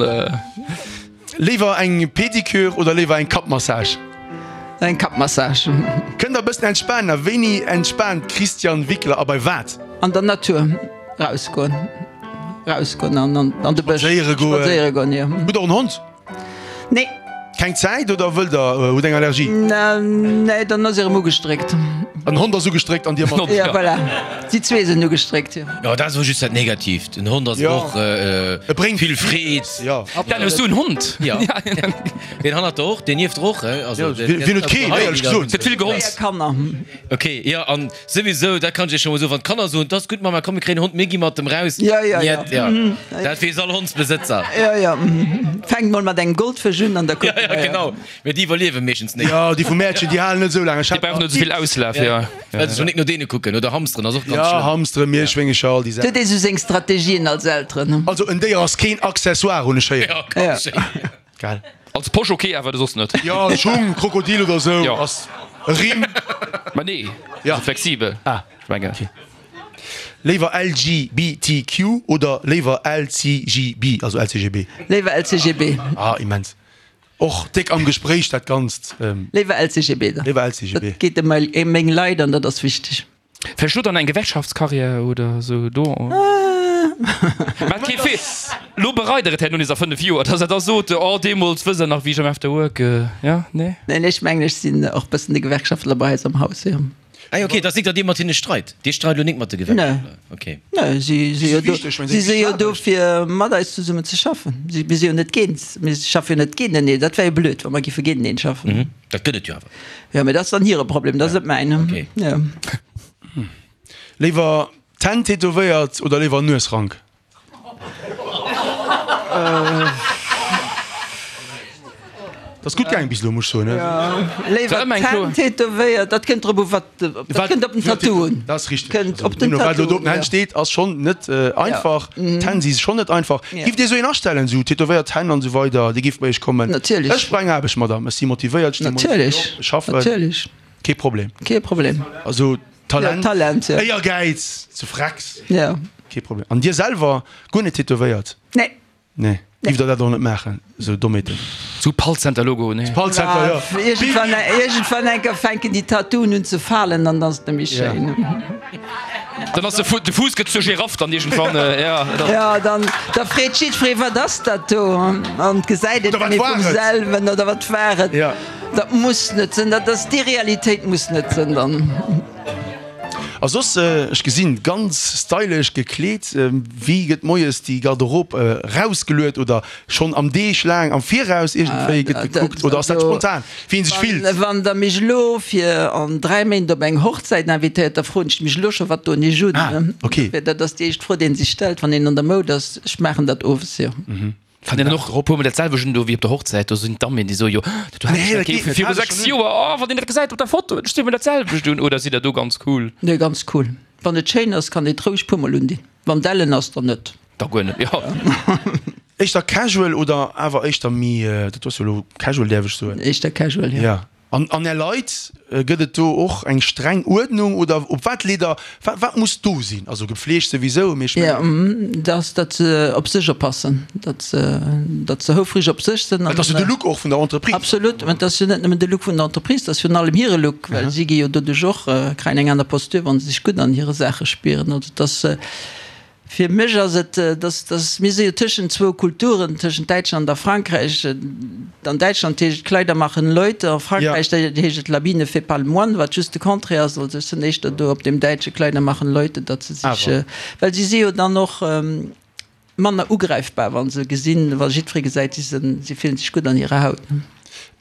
Léiwer eng Pedicure oder léiwer eng Kappmassage? Eng Kappmassage. Kënnt der e bëssen entspanen? A wéini entspaant d'Christiane Wickler a bei wat? An der Natur rausgoen. Rausgoen an an de Bësch. Spadséiere goen. Spadséiere goen, jo. Hutt der och en Hond? Nee. Keng Zäit oder wëllt der, hutt eng Allergie? Nee, dann ass erëm ugestréckt. Den Hond ass ugestréckt an dir mat. Ja, voilà. Si zwee sinn ugestréckt, jo. Jo, dat ass awer just dat Negatiivt. En Hond ass och E bréngt vill Freed. Jo. Dan, hues du en Hond? Jo. Deen hannert der och, deen nieft der och, he? Also, Wien huet keen, éierlech gesot? Huet vill gehonzt. Véier Kanner. Ok, jo, an souwisou, dat kann ech iech scho mol soen, wann d'Kanner soen, 't ass gutt, Mamma, komm mir kréien en Hond, mir gi mat dem raus. Ja, ja, ja. Niet, ja. Dat weess all Hondsbesëtzer. Ja, ja. Fänkt mol mat engem Goldfësch un an da kucke Ja, ja, mer. genau. Mee déi iwwerliewe meeschtens net. Jo, déi vum Mäertchen, déi halen net esou laang. Ech Déi hat brauchen net esou vill Auslaf, ja. Well se schon nik no deene kucken. Oder Hamsteren ass och ganz Ja, schlëmm. Hamsteren, Mierschwéngecher, all déi Et huet Saachen. ee sou seng Strategien als Elteren. Also en Déier ass keen Accessoire, hunn ech héieren. Ja, ganz schéin. Gell? Als Posch ok, awer soss net. Jo, Schung, Krokodil oder sou Jo. ass e Rimm. Ma nee, Ja. also flexibel. Ah. Ech mengen. Okay. Léiwer LGBTQ oder léiwer LCGB, also LCGB? Léiwer LCGB. Ah, immens. Och déck am Gespréich dat Ganzt. Léiwer LCGB dann. Léiwer LCGB. Dat geet ëm meng Leit an dat ass wichteg. Vläicht lo dann eng Gewerkschaftskarriär oder sou do? Mä kee Fee. Lo bereit der et herno nees a 5 Joer, dass der da sot, oh deemools, wësst der nach, wéi ech am After Work, jo, nee? Neen, ech mengen, ech sinn och bëssen de Gewerkschaftler bei eis am Haus, jo. Ah jo, okay, et ass nik, datt Dir mat hinne streit. Dir streit lo nik mat de Gewerkschaftler, okay. Nee, si si jo do, si si jo do fir mat eis zesummen ze schaffen. Si, mir si jo net géint, mir schaffe jo net géinteneen. Dat wär jo blöd, wa mer giffe géinteneen schaffen. Dat gëtt et jo awer. Jo, mee dat ass dann hire Problem, dat ass net mäin. Okay. Jo. Léiwer d'Hänn tätowéiert oder léiwer Nuesrank? Dat ass gutt gaang bis elo, muss ech soen. Léiwer d'Hänn tätowéiert, dat kënnt drop u wat, dat kënnt op den Tattoo un. Dat ass richteg. Kënnt op den Wat elo Tattoo do op den un, Hänn steet, ass schonn net einfach. D'Hänn si schonn net einfach. Giff Dir esou een astellen, esou tätowéiert Hänn an esou weider, Dir gifft bei Iech kommen? Natierlech. Ech brauch eng Aarbecht, Madame, ech si motivéiert, ech sti moies fréi op, ech schaffen. Natierlech. Kee Problem. Kee Problem. Also Talent, ja, Talent, ja. Éiergäiz, zu Frecks. Ja. Kee Problem. An Dir selwer guer net tätowéiert? Nee. Nee. Nee. Giff der dat och net maachen, sou Dommheeten? Sou Pall-Center Logo, nee. Pall-Center, ja. Iergendwann, iergendwann eng Kéier fänken déi Tattooen un ze falen an dann ass et net méi schéin. Dann ass de Fu, de Fuuss gëtt zur Giraff dann iergendwann, ja. Ja, dann, da freet jiddweree, wat ass dat do? An gesäit et Oder wat net méi war vum et? selwen oder wat war et? Ja. Dat muss net sinn, dat ass déi Realitéit muss net sinn dann. A soss, ech gesinn, ganz stylesch gekleet. Wéi gëtt moies déi Garderobe rausgeluet oder schonn am Deeg laang am Viraus iergendwéi gëtt gekuckt oder ass dat spontan, wéi een sech fillt? Wann Der mech elo fir an 3 Méint op eng Hochzäit invitéiert, da froen ech mech elo scho, wat doen ech un? Ah, ok. Dat ass déi éischt Fro, déi een sech stellt, wann een an der Moud ass. Ech maachen dat owes, jo. Wann een dann och e puermol dat selwecht un do wéi op der Hochzäit, do sinn d'Dammen, déi soe jo, dat do hat ech dat kéife viru 6 Joer, oh wann een dat gesäit op der Foto, ech sti mer dat selwecht un. Oder sidd der do ganz cool? Nee, ganz cool. Wann et schéin ass, kann een et roueg puermol undinn. Wann et ellen ass, dann net. Da guer net, jo. Éischter casual oder awer éischter méi, dat ass jo elo casual, däerf ech soen? Éischter casual, jo. Ja. An an Är Leit, gëtt et do och eng streng Uerdnung oder op wat leet Der, wat wat muss do sinn? Also gepflegt souwisou, mee ech mengen. Jo, dass datt se op sech oppassen, datt se datt se houfreg op sech sinn. Well et ass jo de Look och vun der Entreprise. Absolut, mä et ass jo net nëmmen de Look vun der Entreprise, et ass virun allem hire Look, well si gi jo doduerch och, kréien eng aner Posture, wa se sech gutt an hire Saache spieren. Also et ass. Fir mech ass et, dass, dass, mir si jo tëschent zwou Kulturen, tëschent Däitschland a Frankräich. An Däitschland heescht et Kleider machen Leute, a Frankräich heescht et l'habit ne fait pas le moine, wat just de Contraire ass. Also ech sinn éischter do op deem däitsche Kleider machen Leute, datt se sech, well si si jo dann och manner ugräifbar, wa se gesinn, wa jiddweree gesäit, si sinn, si fillen sech gutt an hirer Haut.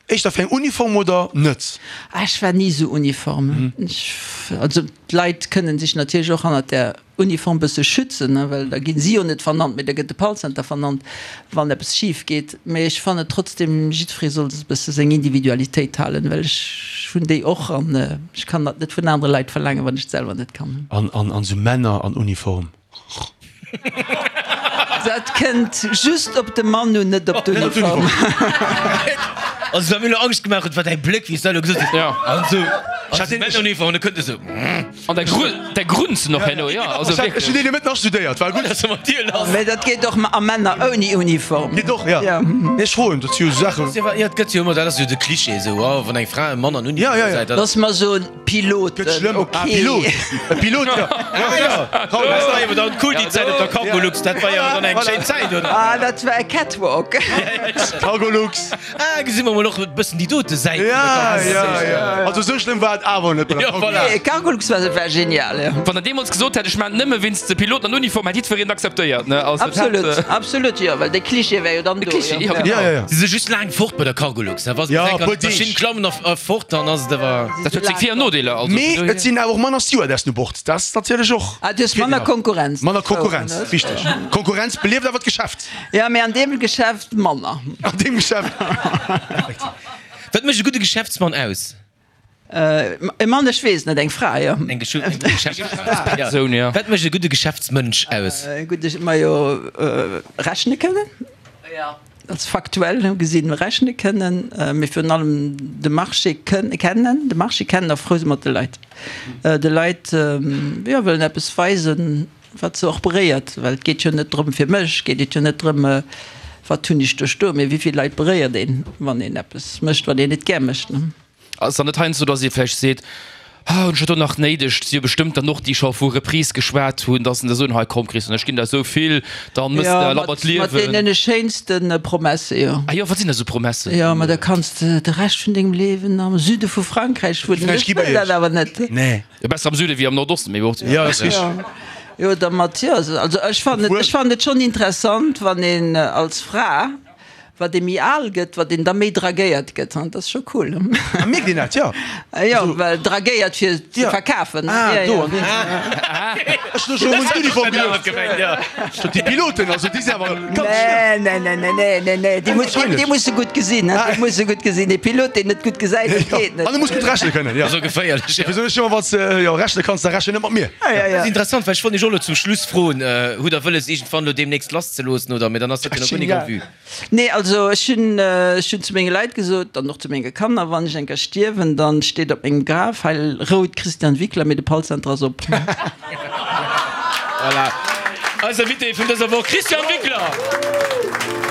Éischter fir eng Uniform oder net? Ah, ech war ni esou Uniform. Ech, also d'Leit kënnen sech natierlech och hannert där Uniform bësse schützen, well da ginn si jo net vernannt, mee da gëtt de Pallcenter vernannt, wann eppes schif geet. Mee ech fannen trotzdem, jiddweree soll e bësse seng Individualitéit halen, well ech hunn déi och an ech kann dat net vun anere Leit verlaangen, wann ech et selwer net kann. An an sou Männer an Uniform? Dat kënnt just op de Mann un, net op d'Uniform. Also wat mir elo Angscht gemaach huet, war däi Bléck, wéi s du dat elo gesot hues. An sou, an sou Männeruniform, an da kënnt e sou. An der Grun, der Grunz noch herno, jo, also wierklech. Ech hunn deen jo net astudéiert, war gutt. Mee dat geet och a Männer ouni Uniform. Geet och, jo. Nee, ech froen, dat si jo sou Saachen. Jo, et gëtt jo ëmmer, dat ass jo de Cliché esou, oh, wann eng Fra e Mann an Uniform gesäit, dat. Looss mer soen, Piloten, Gëtt schlëmm. ok. Ah, Pilot, e Pilot, jo. Ah, jo, dat war jo dann cool, déi Zäit op der Cargolux, dat war jo dann eng schéin Zäit, oder? Ah, dat war e Catwalk. Cargolux. Ah, gesi mer mol och e bëssen déi dote Säit vun der Ja, ja, ja. Also esou schlëmm war et awer net bei der Ja, voilà. Nee, Cargolux war, war genial, jo. Wann der deemools gesot hätt, ech maan et nëmme wéinst de Piloten an Uniform, hätt jiddwereen et akzeptéiert, ne? Also, dat Absolut, hätt. absolut, jo, well de Cliché war jo dann De do, Cliché, jo. jo, genau. Ja, ja, ja. Si si just laang fort bei der Cargolux, ne? Wa se Ja, bis eng e puer an d'Maschinn Deeg. klammen a fort, dann ass et awer. Dat huet seng Vir an Nodeeler, also vun Mee dohier. et sinn awer och manner Stewardessen u Bord. Dat ass natierlech och. Ah, du hues manner Konkurrenz. Manner Konkurrenz, wichteg. Konkurrenz belieft awer d'Geschäft. Ja, mee an deem Geschäft manner. An deem Geschäft. Wat mécht e gudde Geschäftsmann aus? E Mann, ech weess net, eng Fra, jo. Eng Geschäftspersoun, jo. Wat mécht e gudde Geschäftsmënsch aus? E gudde, majo, rechne kënnen. Als faktuell gesinn rechne kënnen, mee virun allem de Marché kennen, de Marché kennen a frou si mat de Leit. De Leit, jo, wëllen eppes weisen. Wat se och beréiert, well et geet jo net drëm, fir mech geet et jo net drëm, wat hunn ech do stoen, mee wéi vill Leit beréiert een, wann een eppes mécht, wat een net gär mécht. Ass dann net heiansdo, datt ee vläicht seet, ah hunn ech dat do nach néideg, et si jo bestëmmt dann och déi scho vu Reprise geschwat hunn, datt se da soen, hei komm Christian, ech ginn der esou vill, dann mëss de labber d'Liewen. Jo, mat deene schéinste Promesse, jo. Ah jo, wat sinn dat esou Promessen? Jo, ma da kanns de de Rescht vun dengem Liewen am Süde vu Frankräich wunnen. Ech wëll dat awer net. Nee. Jo, besser am Süde wéi am Nordosten, mee bon. Jo, ass richteg. Jo, der Mathias, also ech fannen et, ech fannen et schonn interessant, wann een als Fra, wat ee méi al gëtt, wat een da méi dragéiert gëtt, dat ass scho cool. Ah, mierkt een dat, jo? Jo, well dragéiert fir ze verkafen. Ah, do an deem Sënn. Ech hunn elo schonn un d'Uniform geduecht. Scho déi Piloten, also déi sinn awer ganz schlëmm. Nee, nee, nee, nee, nee, nee, déi muss, déi muss e gutt gesinn, déi muss e gutt gesinn. Ee Pilot, deen net gutt gesäit, dat geet net. An e muss gutt rechne kënnen, jo. Ass och geféierlech, jo. Wéi soen ech ëmmer, wann s de jo rechne kanns, da rechne net mat mir. Dat ass interessant, well ech wollt iech och elo zum Schluss froen, Hutt der wëlles iergendwann elo deemnächst lasszeloossen oder? Mee dann ass dat jo nach guer nik en vue. Nee, also ech hunn, ech hunn zu menge Leit gesot an och zu menge Kanner, wann ech eng Kéier stierwen, dann steet op mengem Graf, Heil rout Christian Wickler, mee de Pallcenter ass op. Voilà, eis Invité vun dëser Woch, Christian Wickler!